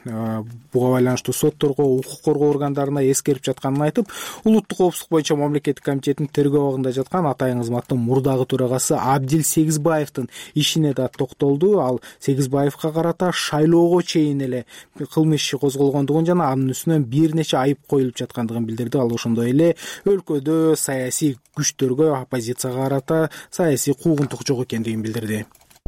буга байланыштуу сотторго, укук коргоо органдарына эскерип жатканын айтып, улуттук коопсуздук боюнча мамлекеттик комитеттин тергөө абагында жаткан Атайын кызматтын мурдагы төрагасы Абдил Сегизбаевдин ишине да токтолду. Ал Сегизбаевга карата шайлоого чейин эле кылмыш иши козголгондугун жана анын бир нече айып коюлуп жаткандыгын билдирди. Ал ошондой эле өлкөдө саясий күчтөргө, оппозицияга карата саясий куугунтук жок экендигин билдирди.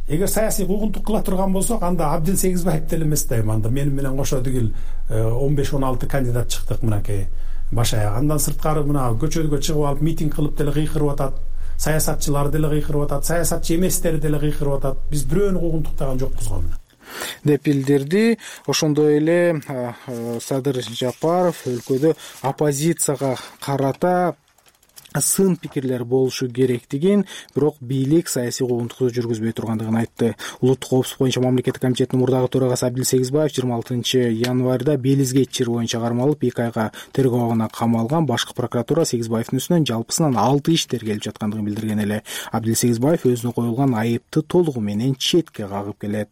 Эгер саясий куугунтук кыла турган болсок, анда Абдил Сегизбаев деле эмес да, анда менин менен кошо тигил 15-16 кандидат чыктык мынакей баш аяк. Андан сырткары мына көчөгө чыгып алып митинг кылып деле кыйкырып атат. Саясатчылар деле кыйкырып атат, саясатчы эместер деле кыйкырып атат. Биз бирөөнү куугунтуктаган жокпуз го деп билдирди. Ошондой эле Садыр Жапаров өлкөдө оппозицияга карата сын пикирлер болушу керектигин, бирок бийлик саясий куугунтукту жүргүзбөй тургандыгын айтты. Улуттук коопсуздук боюнча мамлекеттик комитеттин мурдагы төрагасы Абдил Сегизбаев 26 январда Белизге ичир боюнча кармалып 2 айга тергөө абагына камалган. Башкы прокуратура Сегизбаевдин үстүнөн жалпысынан 6 иш тергелип жаткандыгын билдирген эле. Абдил Сегизбаев өзүнө коюлган айыпты толугу менен четке кагып келет.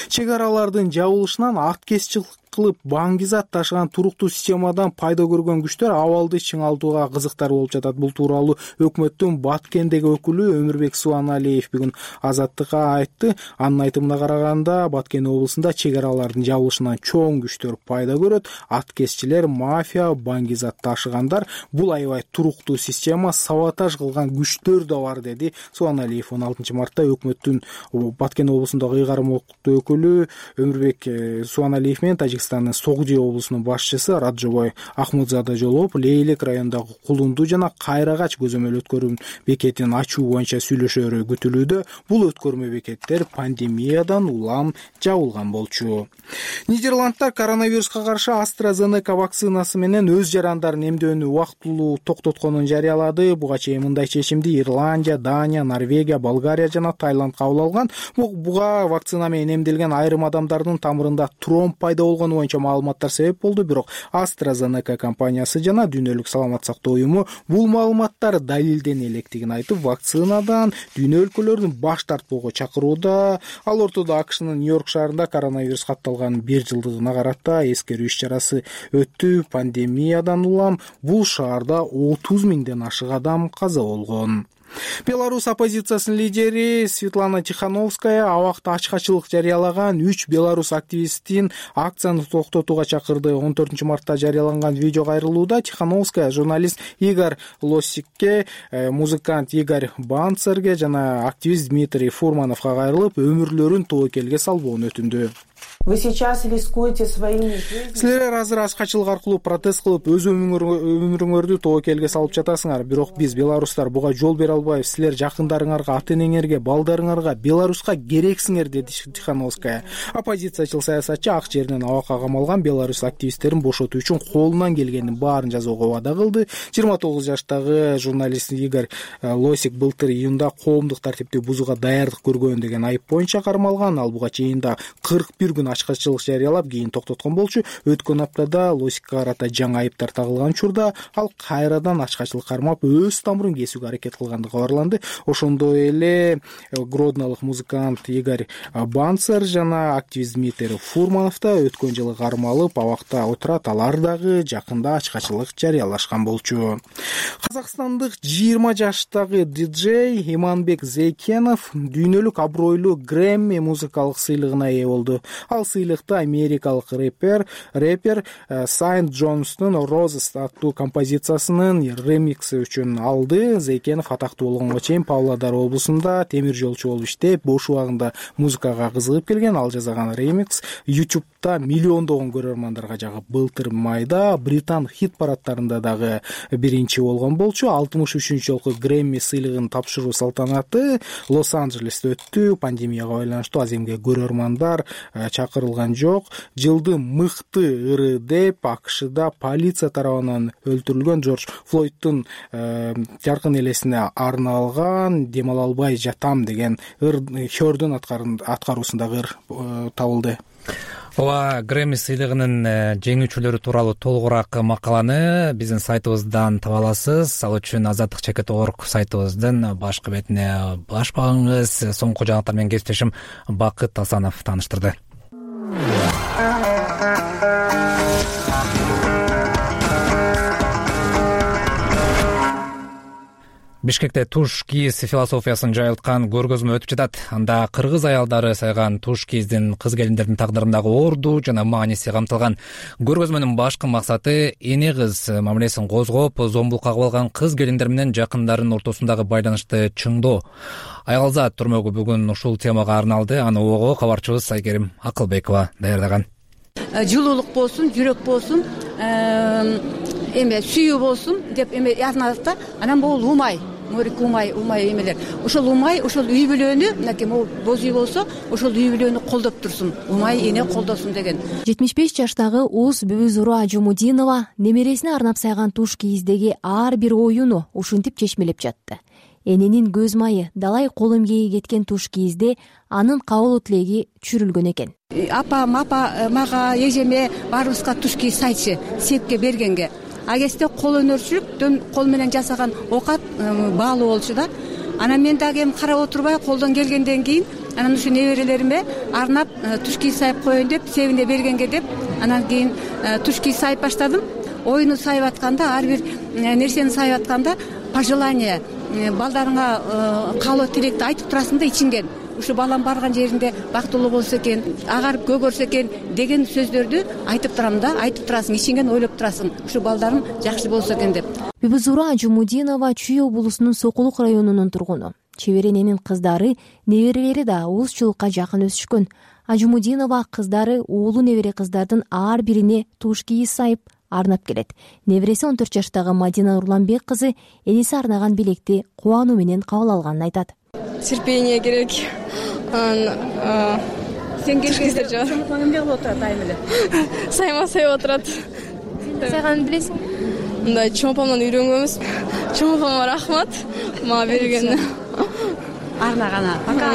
Чек аралардын жабылышынан аткезчилик кылып баңгизат ташыган туруктуу системадан пайда көргөн күчтөр абалды чыңалтууга кызыктар болуп жатат. Бул тууралуу өкмөттүн Баткендеги өкүлү Өмүрбек Суаналиев бүгүн Азаттыкка айтты. Анын айтымына караганда Баткен облусунда чек аралардын жабылышынан чоң күчтөр пайда көрөт. Аткезчилер, мафия, баңгизат ташыгандар, бул аябай туруктуу система, саботаж кылган күчтөр да бар, деди Суаналиев. 16 мартта өкмөттүн Баткен облусундагы ыйгарым өкүлү Өмүрбек Суаналиев менен Тажикстандын Согди облусунун башчысы Раджобой Ахмудзада жолугуп, Лейлек районундагы Кулунду жана Кайрагач көзөмөл өткөрүү бекетин ачуу боюнча сүйлөшөөрү күтүлүүдө. Бул өткөрмө бекеттер пандемиядан улам жабылган болчу. Нидерландда коронавируска каршы AstraZeneca вакцинасы менен өз жарандарын эмдөөнү убактылуу токтотконун жарыялады. Буга чейин мындай чечимди Ирландия, Дания, Норвегия, Болгария жана Таиланд кабыл алган. Буга вакцина менен эмделген айрым адамдардын тамырында тромб пайда болгондугу болгону боюнча маалыматтар себеп болду, бирок AstraZeneca компаниясы жана Дүйнөлүк саламаттык сактоо уюму бул маалыматтар далилдене электигин айтып, вакцинадан дүйнө өлкөлөрүн баш тартпоого чакырууда. Ал ортодо АКШнын Нью-Йорк шаарында коронавирус катталган 1 жылдыгына карата эскерүү иш-чарасы өттү. Пандемиядан улам бул шаарда 30 миңден ашык адам каза болгон. Беларусь оппозициясынын лидери Светлана Тихановская абакта ачкачылык жарыялаган 3 белорус активистин акцияны токтотууга чакырды. 14 мартта жарыяланган видео кайрылууда Тихановская журналист Игорь Лосикке, музыкант Игорь Банцерге жана активист Дмитрий Фурмановго кайрылып, өмүрлөрүн тобокелге салбоону өтүндү. Вы сейчас рискуете своими жизнями. Силер азыр ачкачылык аркылуу протест кылып, өз өмүрүңөрдү тобокелге салып жатасыңар. Бирок биз белорустар буга жол бере албайбыз. Силер жакындарыңарга, ата-энеңерге, балдарыңарга, Беларуска керексиңер, деди Тихановская. Оппозициячыл саясатчы ак жеринен абакка камалган белорус активисттерин бошотуу үчүн колунан келгендин баарын жасоого убада кылды. 29 жаштагы журналист Игорь Лосик былтыр июнда коомдук тартипти бузууга даярдык көргөн деген айып боюнча кармалган. Ал буга чейин да 41 күн ачкачылык жарыялап, кийин токтоткон болчу. Өткөн аптада Лосикке карата жаңы айыптар тагылган учурда ал кайрадан ачкачылык кармап, өз тамырын кесүүгө аракет кылгандыгы кабарланды. Ошондой эле гроднолук музыкант Игорь Банцер жана активист Дмитрий Фурманов да өткөн жылы кармалып абакта отурат. Алар дагы жакында ачкачылык жарыялашкан болчу. Казакстандык 20 жаштагы диджей Иманбек Зейкенов дүйнөлүк абройлуу Грэмми музыкалык сыйлыгына ээ болду. Ал сыйлыкты америкалык рэпер Сайнт Джонстун Roses аттуу композициясынын ремикси үчүн алды. Зейкенов атактуу болгонго чейин Павлодар облусунда темир жолчу болуп иштеп, бош убагында музыкага кызыгып келген. Ал жасаган ремикс YouTube'да миллиондогон көрөрмандарга жагып, былтыр майда Британ хит парадтарында дагы биринчи болгон болчу. 63-чү жолку Грэмми сыйлыгын тапшыруу салтанаты Лос-Анджелесте өттү. Пандемияга байланыштуу аземге көрөрмандар чакырылган жок. Жылдын мыкты ыры деп АКШда полиция тарабынан өлтүрүлгөн Джордж Флойдтун жаркын элесине арналган Дем ала албай жатам деген Хёрдүн аткаруусундагы ыр табылды. Ооба, Грэмми сыйлыгынын жеңүүчүлөрү тууралуу толугураак макаланы биздин сайтыбыздан таба аласыз. Ал үчүн azadlik.org сайтыбыздын башкы бетине баш багыңыз. Соңку жаңылыктар менен кесиптешим Бакыт Асанов тааныштырды. Бишкекте туш кийиз философиясын жайылткан көргөзмө өтүп жатат. Анда кыргыз аялдары сайган туш кийиздин кыз келиндердин тагдырындагы орду жана мааниси камтылган. Көргөзмөнүн башкы максаты эне кыз мамилесин козгоп, зомбулукка кабыл алган кыз келиндер менен жакындарынын ортосундагы байланышты чыңдоо. Аялзат турмөгү бүгүн ушул темага арналды. Аны ого кабарчыбыз Айкерим Акылбекова даярдаган. Жылуулук болсун, жүрөк болсун, сүйүү болсун деп язмадык да. Анан бул умай, морик умай эмелер. Ошол умай, ошол үй бүлөнү, мынакей могу боз үй болсо, ошол үй бүлөнү колдоп турсун. Умай эне колдосун деген. 75 жаштагы Уз Бүбүзуру Ажумудинова немересине арнап сайган туш кийиздеги ар бир оюну ушинтип чечмелеп жатты. Эненин көз майы, далай кол эмгеги кеткен туш кийизде анын кабыл тилеги түшүрүлгөн экен. Апам, мага, эжеме баарыбызга туш кийиз сайчы, сепке бергенге. А кезде кол өнөрчүлүктөн кол менен жасаган окат баалуу болчу да. Анан мен дагы эми карап отурбай колдон келгенден кийин анан ушу неберелериме арнап туш кийиз сайып коеюн деп, себине бергенге деп, анан кийин туш кийиз сайып баштадым. Оюну сайып атканда, ар бир нерсени сайып атканда пожелание, балдарыңа каалоо тилекти айтып турасың да ичиңден. Ушу балам барган жеринде бактылуу болсо экен, агарып көгөрсө экен деген сөздөрдү айтып турам да, айтып турасың, ичиңден ойлоп турасың. Ушу балдарым жакшы болсо экен деп. Бүбүзура Ажумудинова Чүй облусунун Сокулук районунун тургуну. Чеберененин кыздары, неберелери да улусчулукка жакын өсүшкөн. Ажумудинова кыздары, уулу небере кыздардын ар бирине туш кийиз сайып арнап келет. Небереси 14 жаштагы Мадина Урланбек кызы эниси арнаган белекти кубануу менен кабыл алганын айтат. Терпение керек. Сен келгенде чоңкоң эмне кылып отурат айым эле? Сайма сайып отурат. Сайганын билесиң? Мындай чоңпомдон үйрөнгөнбүз. Чоңпоңго рахмат мага бергенине. Арнагана, пока.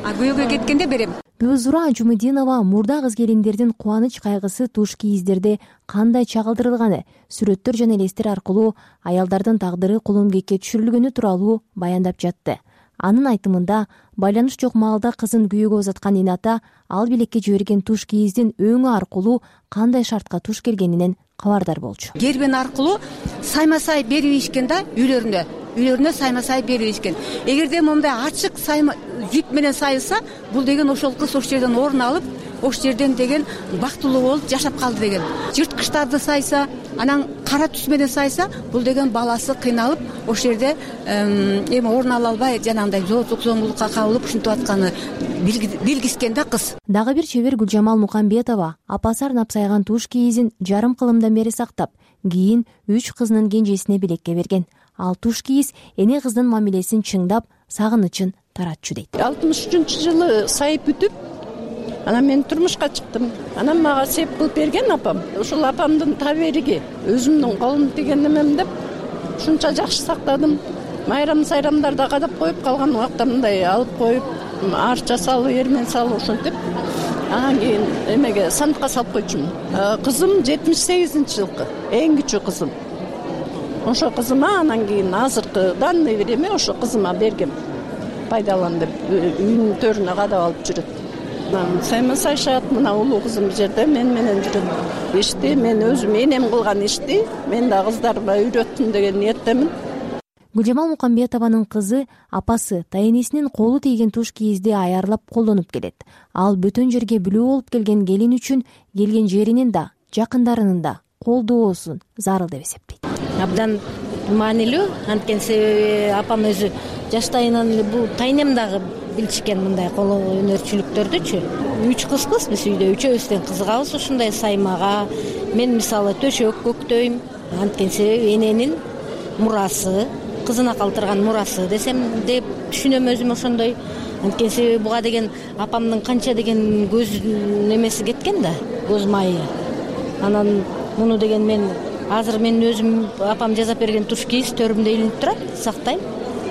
А күйөөгө кеткенде берем. Бүзура Жумудинова мурда кыз келиндердин кубаныч кайгысы туш кийиздерде кандай чагылдырылганы, сүрөттөр жана элестер аркылуу аялдардын тагдыры коломкекке түшүрүлгөнү тууралуу баяндап жатты. Анын айтымында, байланыш жок маалда кызын күйөөгө узаткан ината ал билекке жиберген туш кийиздин өңү аркылуу кандай шартка туш келгенинен кабардар болчу. Гербен аркылуу сайма-сай берип ийишкен да, үйлөрүнө сайма-сай берип ийишкен. Эгерде момундай ачык сайма жип менен сайылса, бул деген ошол кыз ошол жерден орун алып, ошол жерден деген бактылуу болуп жашап калды деген. Жырткычтарды сайса, анан кара түс менен сайса, бул деген баласы кыйналып, ошол жерде эми орун ала албай, жанагындай зоозук зомбулукка кабылып ушинтип атканы билгискен да кыз. Дагы бир чебер Гүлжамал Мукамбетова апасы арнап сайган туш кийизин жарым кылымдан бери сактап, кийин 3 кызынын кенжесине билекке берген. Ал туш кийиз эне кыздын мамилесин чыңдап, сагынычын таратчу дейт. 63-жылы сайып бүтүп, анан мен турмушка чыктым. Анан мага сеп кылып берген апам. Ушул апамдын табериги, өзүмдүн колум тиген немем деп ушунча жакшы сактадым. Майрам-сайрамдарда кадап коюп калган убакта мындай алып коюп, арча салып, эрмен салып ушинтип, анан кийин эмеге сандыкка салып койчумун. Кызым 78-жылкы, эң кичүү кызым. Ошо кызыма анан кийин азыркы данный время ошо кызыма бергем. Пайдалан деп үйүнүн төрүнө кадап алып жүрөт. Сайма-сайшат, мына улуу кызым бул жерде мен менен жүрөт. Ишти мен өзүм энем кылган ишти мен да кыздарыма үйрөттүм деген ниеттемин. Гүлжамал Мукамбетованын кызы апасы тайенесинин колу тийген туш кийизди аярлап колдонуп келет. Ал бөтөн жерге бүлөө болуп келген келин үчүн келген жеринин да, жакындарынын да колдоосун зарыл деп эсептейт. Абдан маанилүү, анткени себеби апам өзү жаштайынан бул тайнем дагы билишкен мындай кол өнөрчүлүктөрдүчү. 3 кызбыз биз үйдө, үчөөбүздөн кызыгабыз ушундай саймага. Мен мисалы төшөк көктөйм, анткени себеби эненин мурасы, кызына калтырган мурасы десем деп түшүнөм өзүм ошондой. Анткени себеби буга деген апамдын канча деген көз немеси кеткен да, көз майы. Анан муну деген мен азыр мен өзүм апам жасап берген туш кийиз төрүмдө илинип турат, сактайм.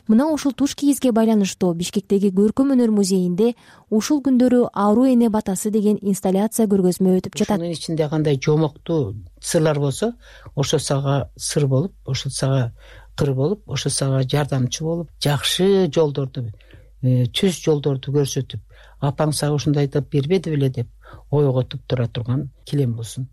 Мына ушул туш кийизге байланыштуу Бишкектеги Көркөм өнөр музейинде ушул күндөрү Аруу эне батасы деген инсталляция көргөзмө өтүп жатат. Ушунун ичинде кандай жомоктуу сырлар болсо, ошо сага сыр болуп, ошо сага кыр болуп, ошо сага жардамчы болуп, жакшы жолдорду, түз жолдорду көрсөтүп, апаң сага ушундайды бербеди беле деп ойготуп тура турган килем болсун.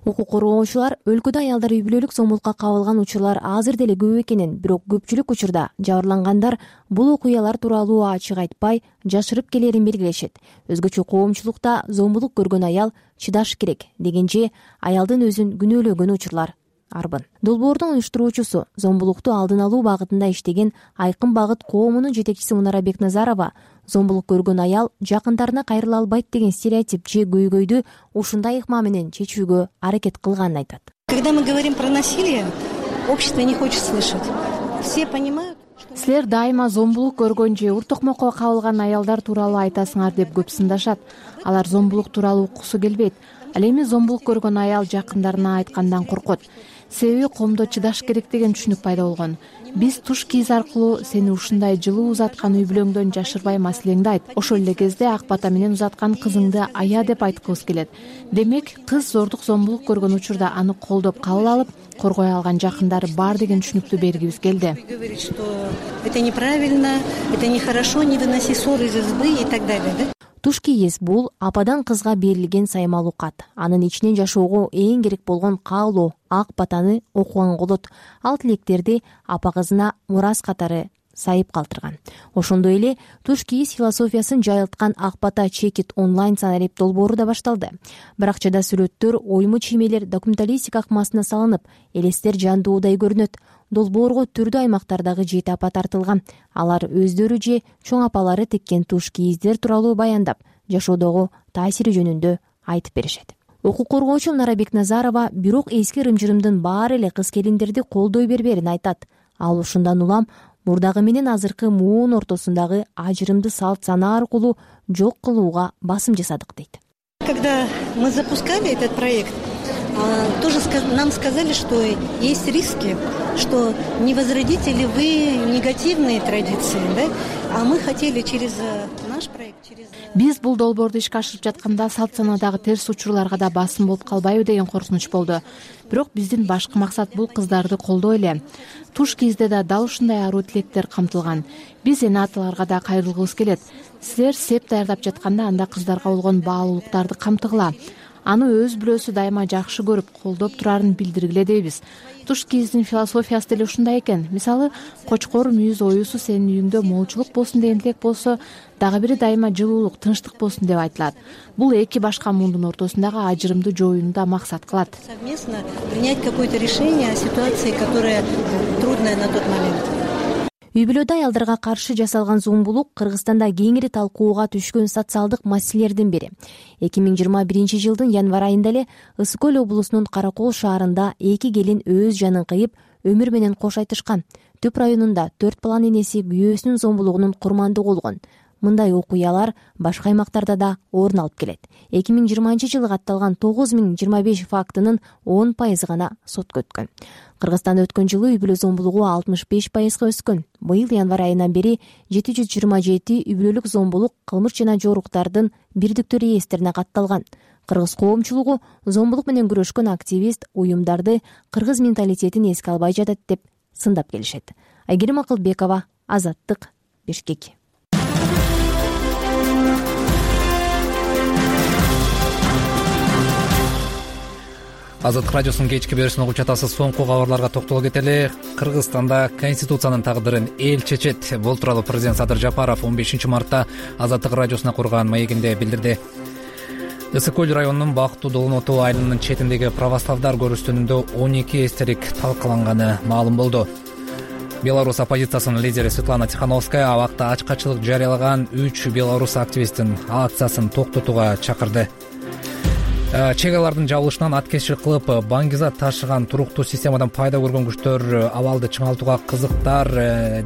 Укук коргоочулар өлкөдө аялдар үй бүлөлүк зомбулукка кабылган учурлар азыр деле көп экенин, бирок көпчүлүк учурда жабырлангандар бул окуялар тууралуу ачык айтпай, жашырып келерин белгилешет. Өзгөчө коомчулукта зомбулук көргөн аял чыдаш керек дегенче аялдын өзүн күнөөлөгөн учурлар арбын. Долбоордун уюштуруучусу, зомбулукту алдын алуу багытында иштеген Айкын багыт коомунун жетекчиси Мунара Бекназарова зомбулук көргөн аял жакындарына кайрыла албайт деген стереотип же көйгөйдү ушундай ыкма менен чечүүгө аракет кылганын айтат. Когда мы говорим про насилие, общество не хочет слышать. Все понимают. Силер дайыма зомбулук көргөн же уртокмокко кабылган аялдар тууралуу айтасыңар деп көп сындашат. Алар зомбулук тууралуу уккусу келбейт. Ал эми зомбулук көргөн аял жакындарына айткандан коркот. Себеби коомдо чыдаш керек деген түшүнүк пайда болгон. Биз туш кийиз аркылуу сени ушундай жылуу узаткан үй бүлөңдөн жашырбай маселеңди айт. Ошол эле кезде ак бата менен узаткан кызыңды ая деп айткыбыз келет. Демек, кыз зордук зомбулук көргөн учурда аны колдоп кабыл алып, коргой алган жакындары бар деген түшүнүктү бергибиз келди. Говорит, что это неправильно, это нехорошо, не выноси ссор из избы и так далее, да? Туш кийиз бул ападан кызга берилген саймалуу кат. Анын ичинен жашоого эң керек болгон каалоо, ак батаны окуганга болот. Ал тилектерди апа кызына мурас катары сайып калтырган. Ошондой эле туш кийиз философиясын жайылткан Ак бата чекит онлайн санарип долбоору да башталды. Биракчада сүрөттөр, ойму чиймелер документалистика акмасына салынып, элестер жандуудай көрүнөт. Долбоорго түрдүү аймактардагы 7 апа тартылган. Алар өздөрү же чоң апалары теккен туш кийиздер тууралуу баяндап, жашоодогу таасири жөнүндө айтып беришет. Укук коргоочу Мунара Бекназарова бирок эски ырым-жырымдын баары эле кыз келиндерди колдой берберин айтат. Ал ушундан улам мурдагы менен азыркы муун ортосундагы ажырымды салт сана аркылуу жок кылууга басым жасадык дейт. Когда мы запускали этот проект, тоже нам сказали, что есть риски, что не возродите ли вы негативные традиции, да? А мы хотели через наш Биз бул долбоорду ишке ашырып жатканда салт санаадагы терс учурларга да басым болуп калбайбы деген коркунуч болду. Бирок биздин башкы максат бул кыздарды колдоо эле. Туш кезде да дал ушундай аруу тилектер камтылган. Биз эне аталарга да кайрылгыбыз келет. Силер сеп даярдап жатканда анда кыздарга болгон баалуулуктарды камтыгыла. Аны өз бүлөсү дайыма жакшы көрүп, колдоп турарын билдиргиле дейбиз. Туш киздин философиясы деле ушундай экен. Мисалы, кочкор мүйүз оюсу сенин үйүңдө молчулук болсун деген тилек болсо, дагы бири дайыма жылуулук, тынчтык болсун деп айтылат. Бул эки башка муундун ортосундагы ажырымды жоюуну да максат кылат. Совместно принять какое-то решение о ситуации, которая трудная на тот момент. Үй бүлөдө аялдарга каршы жасалган зомбулук Кыргызстанда кеңири талкууга түшкөн социалдык маселелердин бири. 2021 жылдын январь айында эле Ысык Көл облусунун Каракол шаарында эки келин өз жанын кыйып, өмүр менен кош айтышкан. Түп районунда 4 баланын энеси күйөөсүнүн зомбулугунун курмандыгы болгон. Мындай окуялар башка аймактарда да орун алып келет. 2020 жылы катталган 9025 фактынын 10% гана сотко өткөн. Кыргызстанда өткөн жылы үй бүлө зомбулугу 65%га өскөн. Быйыл январь айынан бери 727 үй бүлөлүк зомбулук кылмыш жана жоруктардын бирдиктүү реестрине катталган. Кыргыз коомчулугу зомбулук менен күрөшкөн активист уюмдарды кыргыз менталитетин эске албай жатат деп сындап келишет. Айгерим Акылбекова, Азаттык, Бишкек. Азаттык радиосунун кечки берүүсүн угуп жатасыз. Соңку кабарларга токтоло кетели. Кыргызстанда конституциянын тагдырын эл чечет. Бул тууралуу президент Садыр Жапаров 15 мартта Азаттык радиосуна курган маегинде билдирди. Ысык Көл районунун Бактуу Долоноту айылынын четиндеги православдар көрүстөнүндө 12 эстелик талкаланганы маалым болду. Беларусь оппозициясынын лидери Светлана Тихановская абакта ачкачылык жарыялаган 3 белорус активистин акциясын токтотууга чакырды. Чегалардын жабылышынан аткезчилик кылып, баңгизат ташыган туруктуу системадан пайда көргөн күчтөр абалды чыңалтууга кызыктар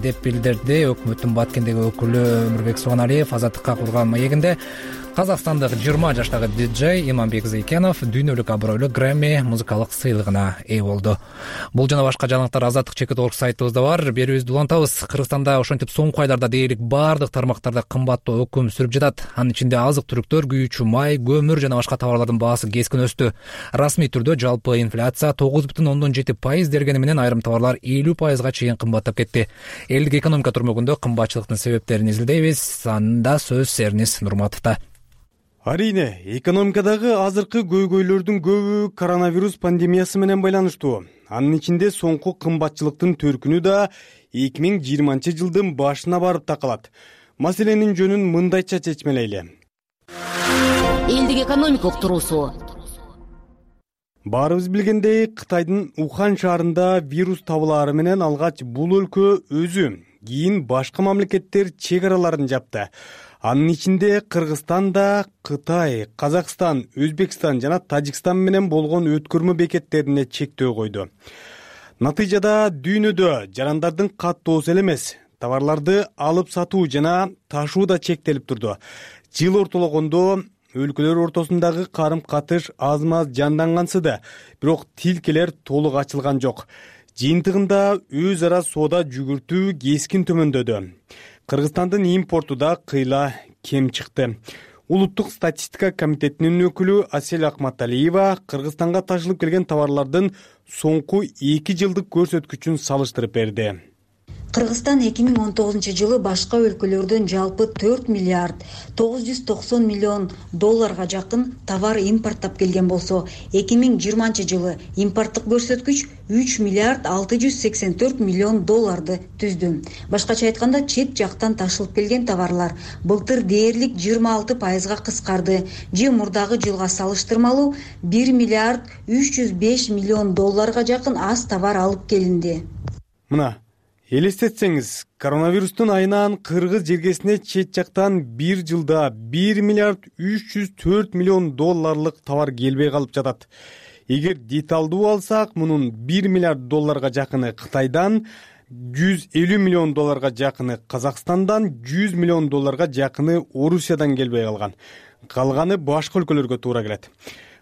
деп билдирди өкмөттүн Баткендеги өкүлү Өмүрбек Суганалиев. Азаттыкка курган маегинде казакстандык 20 жаштагы диджей Иманбек Зейкенов дүйнөлүк абройлуу Грэмми музыкалык сыйлыгына ээ болду. Бул жана башка жаңылыктар Азаттык чекит.org сайтыбызда бар. Берүүбүздү улантабыз. Кыргызстанда ошентип соңку айларда дээрлик баардык тармактарда кымбаттоо өкүм сүрүп жатат. Анын ичинде азык-түлүктөр, күйүүчү май, көмүр жана башка товарлардын баасы кескин өстү. Расмий түрдө жалпы инфляция 9,7% дергени менен айрым товарлар 50%га чейин кымбаттап кетти. Элдик экономика турмөгүндө кымбатчылыктын себептерин изилдейбиз. Анда сөз Серниз Нурматовдо. Арине, экономикадагы азыркы көйгөйлөрдүн көбү коронавирус пандемиясы менен байланыштуу. Анын ичинде соңку кымбатчылыктын төркүнү да 2020 жылдын башына барып такалат. Маселенин жөнүн мындайча чечмелейли. Элдик экономика уктуруусу. Баарыбыз билгендей, Кытайдын Ухан шаарында вирус табылаары менен алгач бул өлкө өзү, кийин башка мамлекеттер чек араларын жапты. Анын ичинде Кыргызстан да Кытай, Казакстан, Өзбекстан жана Тажикстан менен болгон өткөрмө бекеттерине чектөө койду. Натыйжада дүйнөдө жарандардын каттоосу эле эмес, товарларды алып сатуу жана ташуу да чектелип турду. Жыл ортологондо өлкөлөр ортосундагы карым-катыш аз-маз жандангансыды, бирок тилкелер толук ачылган жок. Жыйынтыгында өз ара соода жүгүртүү кескин төмөндөдү. Кыргызстандын импорту да кыйла кем чыкты. Улуттук статистика комитетинин өкүлү Асель Акматалиева Кыргызстанга ташылып келген товарлардын соңку 2 жылдык көрсөткүчүн салыштырып берди. Кыргызстан 2019 жылы башка өлкөлөрдөн жалпы 4 миллиард 990 миллион долларга жакын товар импорттап келген болсо, 2020 жылы импорттук көрсөткүч 3 миллиард 684 миллион долларды түздү. Башкача айтканда, чет жактан ташылып келген товарлар былтыр дээрлик 26%га кыскарды же мурдагы жылга салыштырмалуу 1 миллиард 305 миллион долларга жакын аз товар алып келинди. Мына элестетсеңиз, коронавирустун айынан кыргыз жергесине чет жактан бир жылда 1 миллиард 304 миллион долларлык товар келбей калып жатат. Эгер деталдуу алсак, мунун 1 миллиард долларга жакыны Кытайдан, 150 миллион долларга жакыны Казакстандан, 100 миллион долларга жакыны Орусиядан келбей калган. Калганы башка өлкөлөргө туура келет.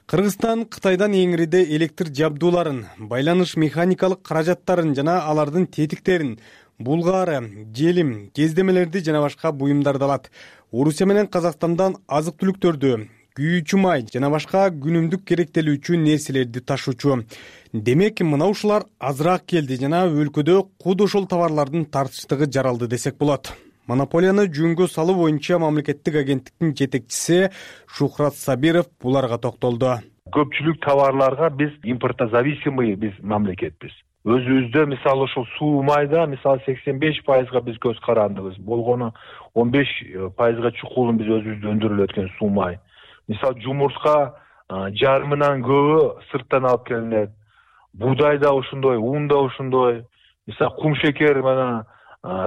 Кыргызстан Кытайдан эңириде электр жабдууларын, байланыш механикалык каражаттарын жана алардын тетиктерин, булгаары, желим, кездемелерди жана башка буюмдарды алат. Орусия менен Казакстандан азык-түлүктөрдү, күйүүчү май жана башка күнүмдүк керектелүүчү нерселерди ташуучу. Демек, мына ушулар азыраак келди жана өлкөдө куд ошол товарлардын тартыштыгы жаралды десек болот. Монополияны жөнгө салуу боюнча мамлекеттик агенттиктин жетекчиси Шухрат Сабиров буларга токтолду. Көпчүлүк товарларга биз импортозависимый биз мамлекетпиз. Өзүбүздө мисалы ошол суу майда мисалы 85%га биз көз карандыбыз. Болгону 15%га чукулун биз өзүбүздө өндүрүлүп өткөн суу май. Мисалы жумуртка жарымынан көбү сырттан алып келинет. Буудай да ошондой, ун да ошондой. Мисалы кум шекер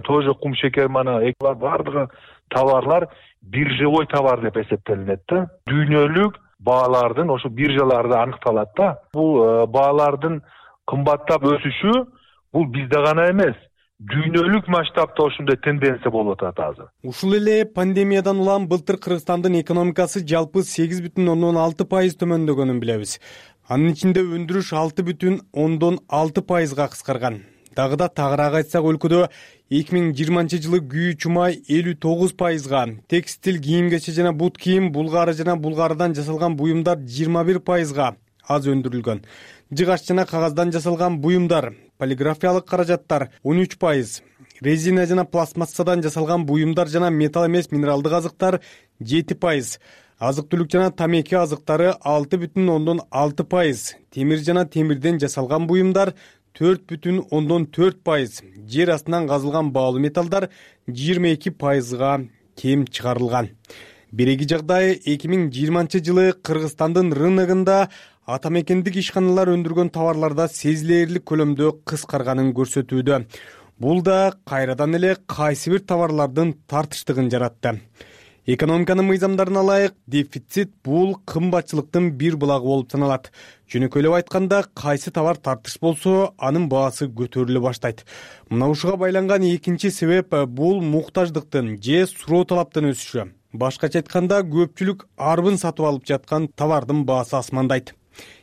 тоже кум шекер бардыгы товарлар биржевой товар деп эсептелинет да. Дүйнөлүк баалардын ошо биржаларда аныкталат да. Бул баалардын кымбаттап өсүшү бул бизде гана эмес, дүйнөлүк масштабта ошондой тенденция болуп атат азыр. Ушул эле пандемиядан улам былтыр Кыргызстандын экономикасы жалпы 8,6% төмөндөгөнүн билебиз. Анын ичинде өндүрүш 6,6%га кыскарган. Дагы да тагыраак айтсак, өлкөдө 2020 жылы күйүүчү май 59%га, текстил, кийим-кече жана бут кийим, булгаары жана булгаардан жасалган буюмдар 21%га аз өндүрүлгөн. Жыгач жана кагаздан жасалган буюмдар, полиграфиялык каражаттар 13%, резина жана пластмассадан жасалган буюмдар жана металл эмес минералдык азыктар 7%, азык-түлүк жана тамеки азыктары 6,6%, темир жана темирден жасалган буюмдар 4,4%, жер астынан казылган баалуу металлдар 22%га кем чыгарылган. Биреги жагдай 2020 жылы Кыргызстандын рыногунда ата мекендик ишканалар өндүргөн товарларда сезилерлик көлөмдө кыскарганын көрсөтүүдө. Бул да кайрадан эле кайсы бир товарлардын тартыштыгын жаратты. Экономиканын мыйзамдарын алайык, дефицит бул кымбатчылыктын бир булагы болуп саналат. Жөнөкөйлөп айтканда, кайсы товар тартыш болсо, анын баасы көтөрүлө баштайт. Мына ушуга байланган экинчи себеп бул муктаждыктын же суроо талаптын өсүшү. Башкача айтканда, көпчүлүк арбын сатып алып жаткан товардын баасы асмандайт.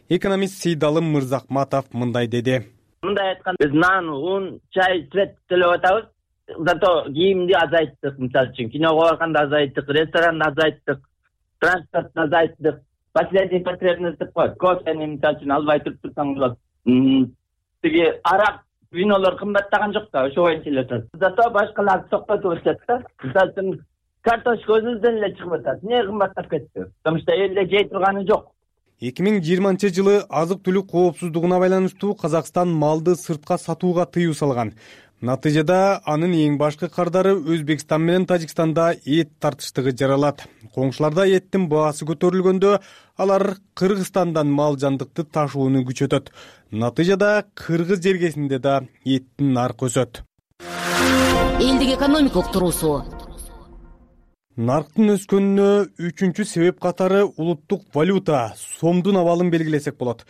Экономист Сейдалым Мырзахматов мындай деди. Мындай айтканда, биз нан, ун, чай, свет төлөп атабыз. Зато кийимди азайттык, мисалы үчүн киного барганда азайттык, ресторанда азайттык, транспортто азайттык. Последний потребность коет. Кофени мисалы үчүн албай турсаң болот. Тиги арак, винолор кымбаттаган жок да, ошо боюнча эле атат. Зато башкаларды токтотуп атат да. Мисалы үчүн картошка өзүбүздөн эле чыгып атат. Эмне кымбаттап кетти? Потому что элде жей турганы жок. 2020 жылы азык-түлүк коопсуздугуна байланыштуу Казакстан малды сыртка сатууга тыюу салган. Натыйжада анын эң башкы кардары Өзбекстан менен Тажикстанда эт тартыштыгы жаралат. Коңшуларда эттин баасы көтөрүлгөндө алар Кыргызстандан мал жандыкты ташууну күчөтөт. Натыйжада кыргыз жергесинде да эттин наркы өсөт. Элдик экономикалык туруусу. Нарктын өскөнүнө үчүнчү себеп катары улуттук валюта, сомдун абалын белгилесек болот.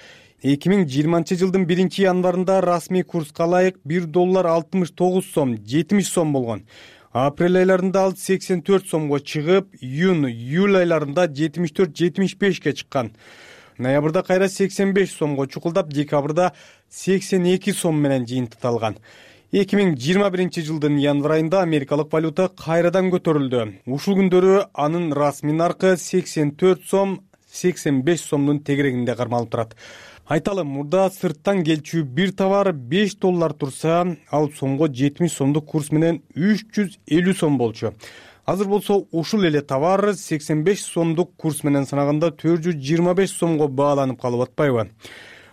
2020 жылдын 1 январында расмий курска ылайык $1 сом, 70 сом болгон. Апрель айларында ал 84 сомго чыгып, июль айларында 74-75ге чыккан. Ноябрда кайра 85 сомго чукулдап, декабрда 82 сом менен жыйынтыкталган. 2021 жылдын январ айында америкалык валюта кайрадан көтөрүлдү. Ушул күндөрү анын расмий наркы 84 сом, 85 сомдун тегерегинде кармалып турат. Айталы, мурда сырттан келчү бир товар $5 турса, ал сомго 70 сомдук курс менен 350 сом болчу. Азыр болсо ушул эле товар 85 сомдук курс менен санаганда 425 сомго бааланып калып атпайбы?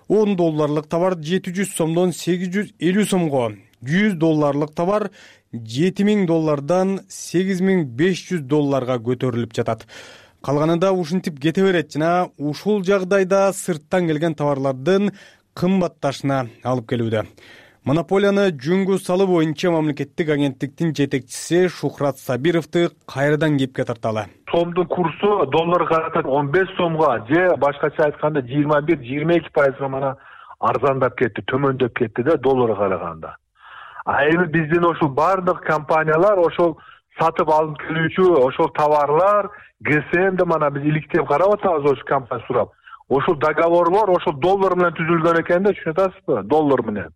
$10 товар 700 сомдон 850 сомго, $100 товар $7000 $8500 көтөрүлүп жатат. Калганы да ушинтип кете берет жана ушул жагдайда сырттан келген товарлардын кымбатташына алып келүүдө. Монополияны жөнгө салуу боюнча мамлекеттик агенттиктин жетекчиси Шухрат Сабировду кайрадан кепке тарталы. Сомдун курсу долларга 15 сомго же башкача айтканда 21-22%га мана арзандап кетти, төмөндөп кетти да долларга караганда. Эми биздин ошол бардык компаниялар ошол сатып алып келүүчү ошол товарлар ГСМди мана биз иликтеп карап атабыз ошол компания сурап. Ошол договорлор ошол доллар менен түзүлгөн экен да, түшүнүп атасызбы? Доллар менен.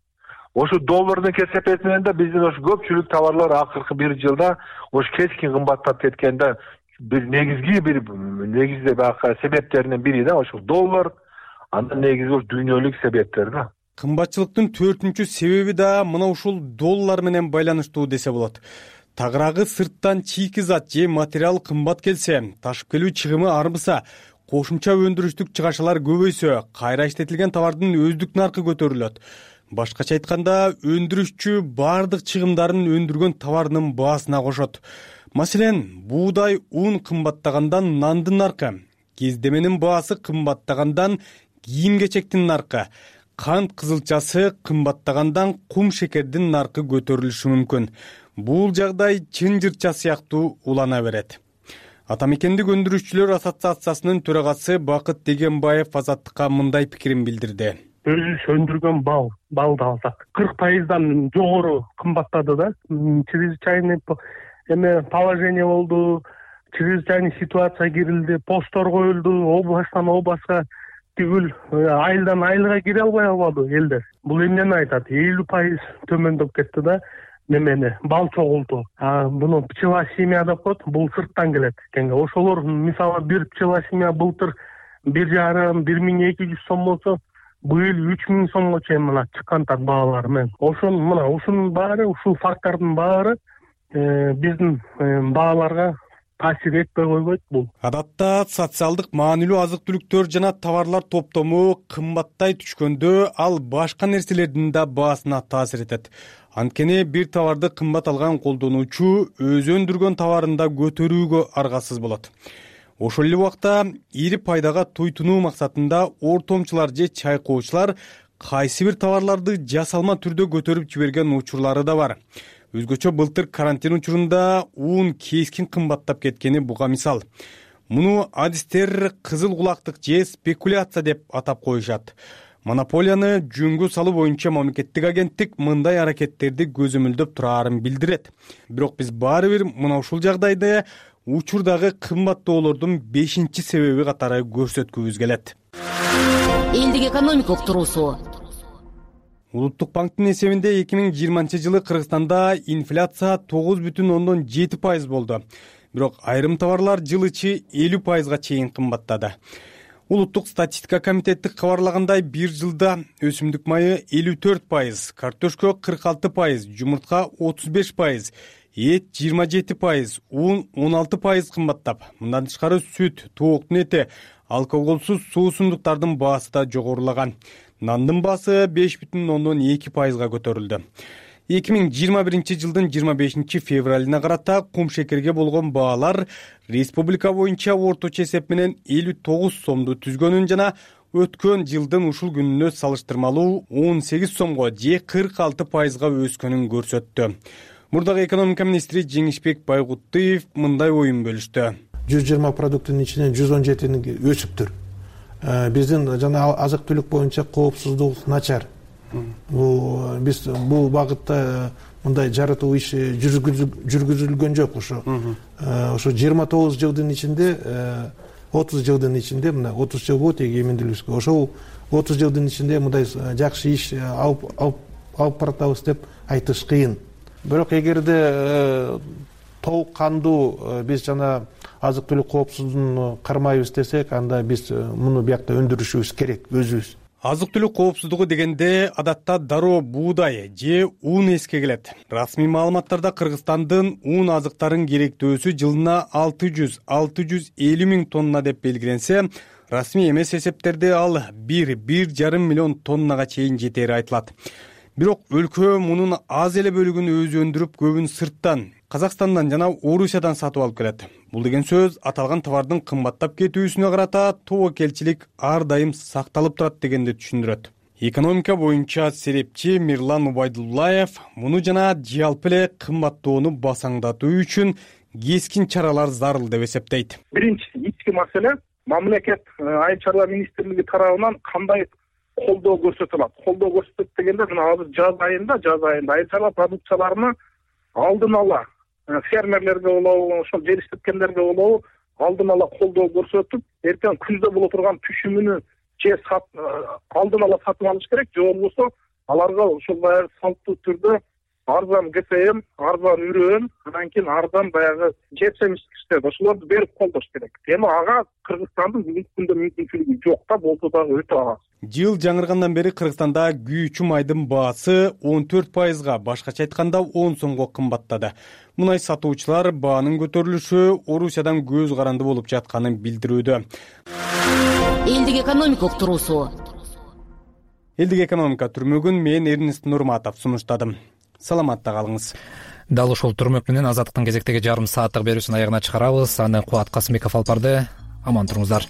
Ошол доллардын кесепети менен да биздин ошо көпчүлүк товарлар акыркы бир жылда ошо кескин кымбаттап кеткен да. Бир негизде баягы себептеринин бири да ошол доллар, андан негизи дүйнөлүк себептер да. Кымбатчылыктын 4-үнчү себеби да мына ушул доллар менен байланыштуу десе болот. Тагыраагы сырттан чийки зат же материал кымбат келсе, ташып келүү чыгымы арбыса, кошумча өндүрүштүк чыгашалар көбөйсө, кайра иштетилген товардын өздүк наркы көтөрүлөт. Башкача айтканда, өндүрүшчү бардык чыгымдарын өндүргөн товарынын баасына кошот. Маселен, буудай, ун кымбаттагандан нандын наркы, кездеменин баасы кымбаттагандан кийим-кечектин наркы, кант кызылчасы кымбаттагандан кум шекердин наркы көтөрүлүшү мүмкүн. Бул жагдай чынжырча сыяктуу улана берет. Атамекендик өндүрүшчүлөр ассоциациясынын төрагасы Бакыт Дегенбаев Азаттыкка мындай пикирин билдирди. Өзүбүз өндүргөн балды алсак 40%дан жогору кымбаттады да. Чрезвычайный положение болду, чрезвычайный ситуация кирилди, посттор коюлду, областтан областка түгүл айылдан айылга кире албай калды элдер. Бул эмнени айтат? 50% төмөндөп кетти да. Немени бал чогулту. Буну пчела семья деп коет, бул сырттан келет экенге. Ошолор мисалы бир пчела семья былтыр 1,5-1200 сом болсо, быйыл 3000 сомго чейин мына чыккантар баалары менен. Ушунун баары, ушул фактордун баары биздин бааларга таасир этпей койбойт бул. Адатта социалдык маанилүү азык-түлүктөр жана товарлар топтому кымбаттай түшкөндө ал башка нерселердин да баасына таасир этет. Анткени бир товарды кымбат алган колдонуучу өзү өндүргөн товарын да көтөрүүгө аргасыз болот. Ошол эле убакта ири пайдага туйтунуу максатында ортомчулар же чайкоочулар кайсы бир товарларды жасалма түрдө көтөрүп жиберген учурлары да бар. Өзгөчө былтыр карантин учурунда ун кескин кымбаттап кеткени буга мисал. Муну адистер кызыл кулактык же спекуляция деп атап коюшат. Монополияны жөнгө салуу боюнча мамлекеттик агенттик мындай аракеттерди көзөмөлдөп турарын билдирет. Бирок биз баары бир мына ушул жагдайды учурдагы кымбаттоолордун 5-чи себеби катары көрсөткүбүз келет. Элдик экономика уктуруусу. Улуттук банктын эсебинде 2020-жылы Кыргызстанда инфляция 9,7% болду. Бирок айрым товарлар жыл ичи 50%га чейин кымбаттады. Улуттук статистика комитети кабарлагандай, бир жылда өсүмдүк майы 54%, картошка 46%, жумуртка 35%, эт 27%, ун 16% кымбаттап. Мындан тышкары сүт, тооктун эти, алкоголсуз суусундуктардын баасы да жогорулаган. Нандын баасы 5,2%га көтөрүлдү. 2021 жылдын 25 февралына карата кум шекерге болгон баалар республика боюнча орточо эсеп менен 59 сомду түзгөнүн жана өткөн жылдын ушул күнүнө салыштырмалуу 18 сомго же 46%га өскөнүн көрсөттү. Мурдагы экономика министри Жеңишбек Байгуттуев мындай оюн бөлүштү. 120 продуктунун ичинен 117 өсүптүр. Биздин жана азык-түлүк боюнча коопсуздук начар. Биз бул багытта мындай жаратуу иши жүргүзүлгөн жок. Ошо 29 жылдын ичинде 30 жылдын ичинде мына 30 жыл болот эгемендүүлүккө. Ошол 30 жылдын ичинде мындай жакшы иш алып баратабыз деп айтыш кыйын. Бирок эгерде толук кандуу биз жана азык-түлүк коопсуздугун кармайбыз десек, анда биз муну биякта өндүрүшүбүз керек өзүбүз. Азык-түлүк коопсуздугу дегенде адатта дароо буудай же ун эске келет. Расмий маалыматтарда Кыргызстандын ун азыктарын керектөөсү жылына 600-650 миң тонна деп белгиленсе, расмий эмес эсептерде ал 1,5 миллион тоннага чейин жетери айтылат. Бирок өлкө мунун аз эле бөлүгүн өзү өндүрүп, көбүн сырттан, Казакстандан жана Орусиядан сатып алып келет. Бул деген сөз аталган товардын кымбаттап кетүүсүнө карата тобокелчилик ар дайым сакталып турат дегенди түшүндүрөт. Экономика боюнча серепчи Мирлан Убайдуллаев муну жана жалпы эле кымбаттоону басаңдатуу үчүн кескин чаралар зарыл деп эсептейт. Биринчи ички маселе мамлекет айыл чарба министрлиги тарабынан кандай колдоо көрсөтүлөт. Колдоо көрсөтөт дегенде мына азыр жаз айында айыл чарба продукцияларына алдын ала фермерлерге болобу, ошол жер иштеткендерге болобу алдын ала колдоо көрсөтүп, эртең күздө боло турган түшүмүнү же алдын ала сатып алыш керек, же болбосо аларга ошол баягы салттуу түрдө арзан ГСМ, арзан үрөн, андан кийин арзан баягы жемиштерди ошолорду берип колдош керек. Эми ага Кыргызстандын бүгүнкү күндө мүмкүнчүлүгү жок да, болсо дагы өтө аз. Жыл жаңыргандан бери Кыргызстанда күйүүчү майдын баасы 14%, башкача айтканда 10 сомго кымбаттады. Мунай сатуучулар баанын көтөрүлүшү Орусиядан көз каранды болуп жатканын билдирүүдө. Элдик экономика уктуруусу. Элдик экономика түрмөгүн мен Эрнест Нурматов сунуштадым. Саламатта калыңыз. Дал ушул түрмөк менен Азаттыктын кезектеги жарым сааттык берүүсүн аягына чыгарабыз. Аны Кубат Касымбеков алып барды. Аман туруңуздар.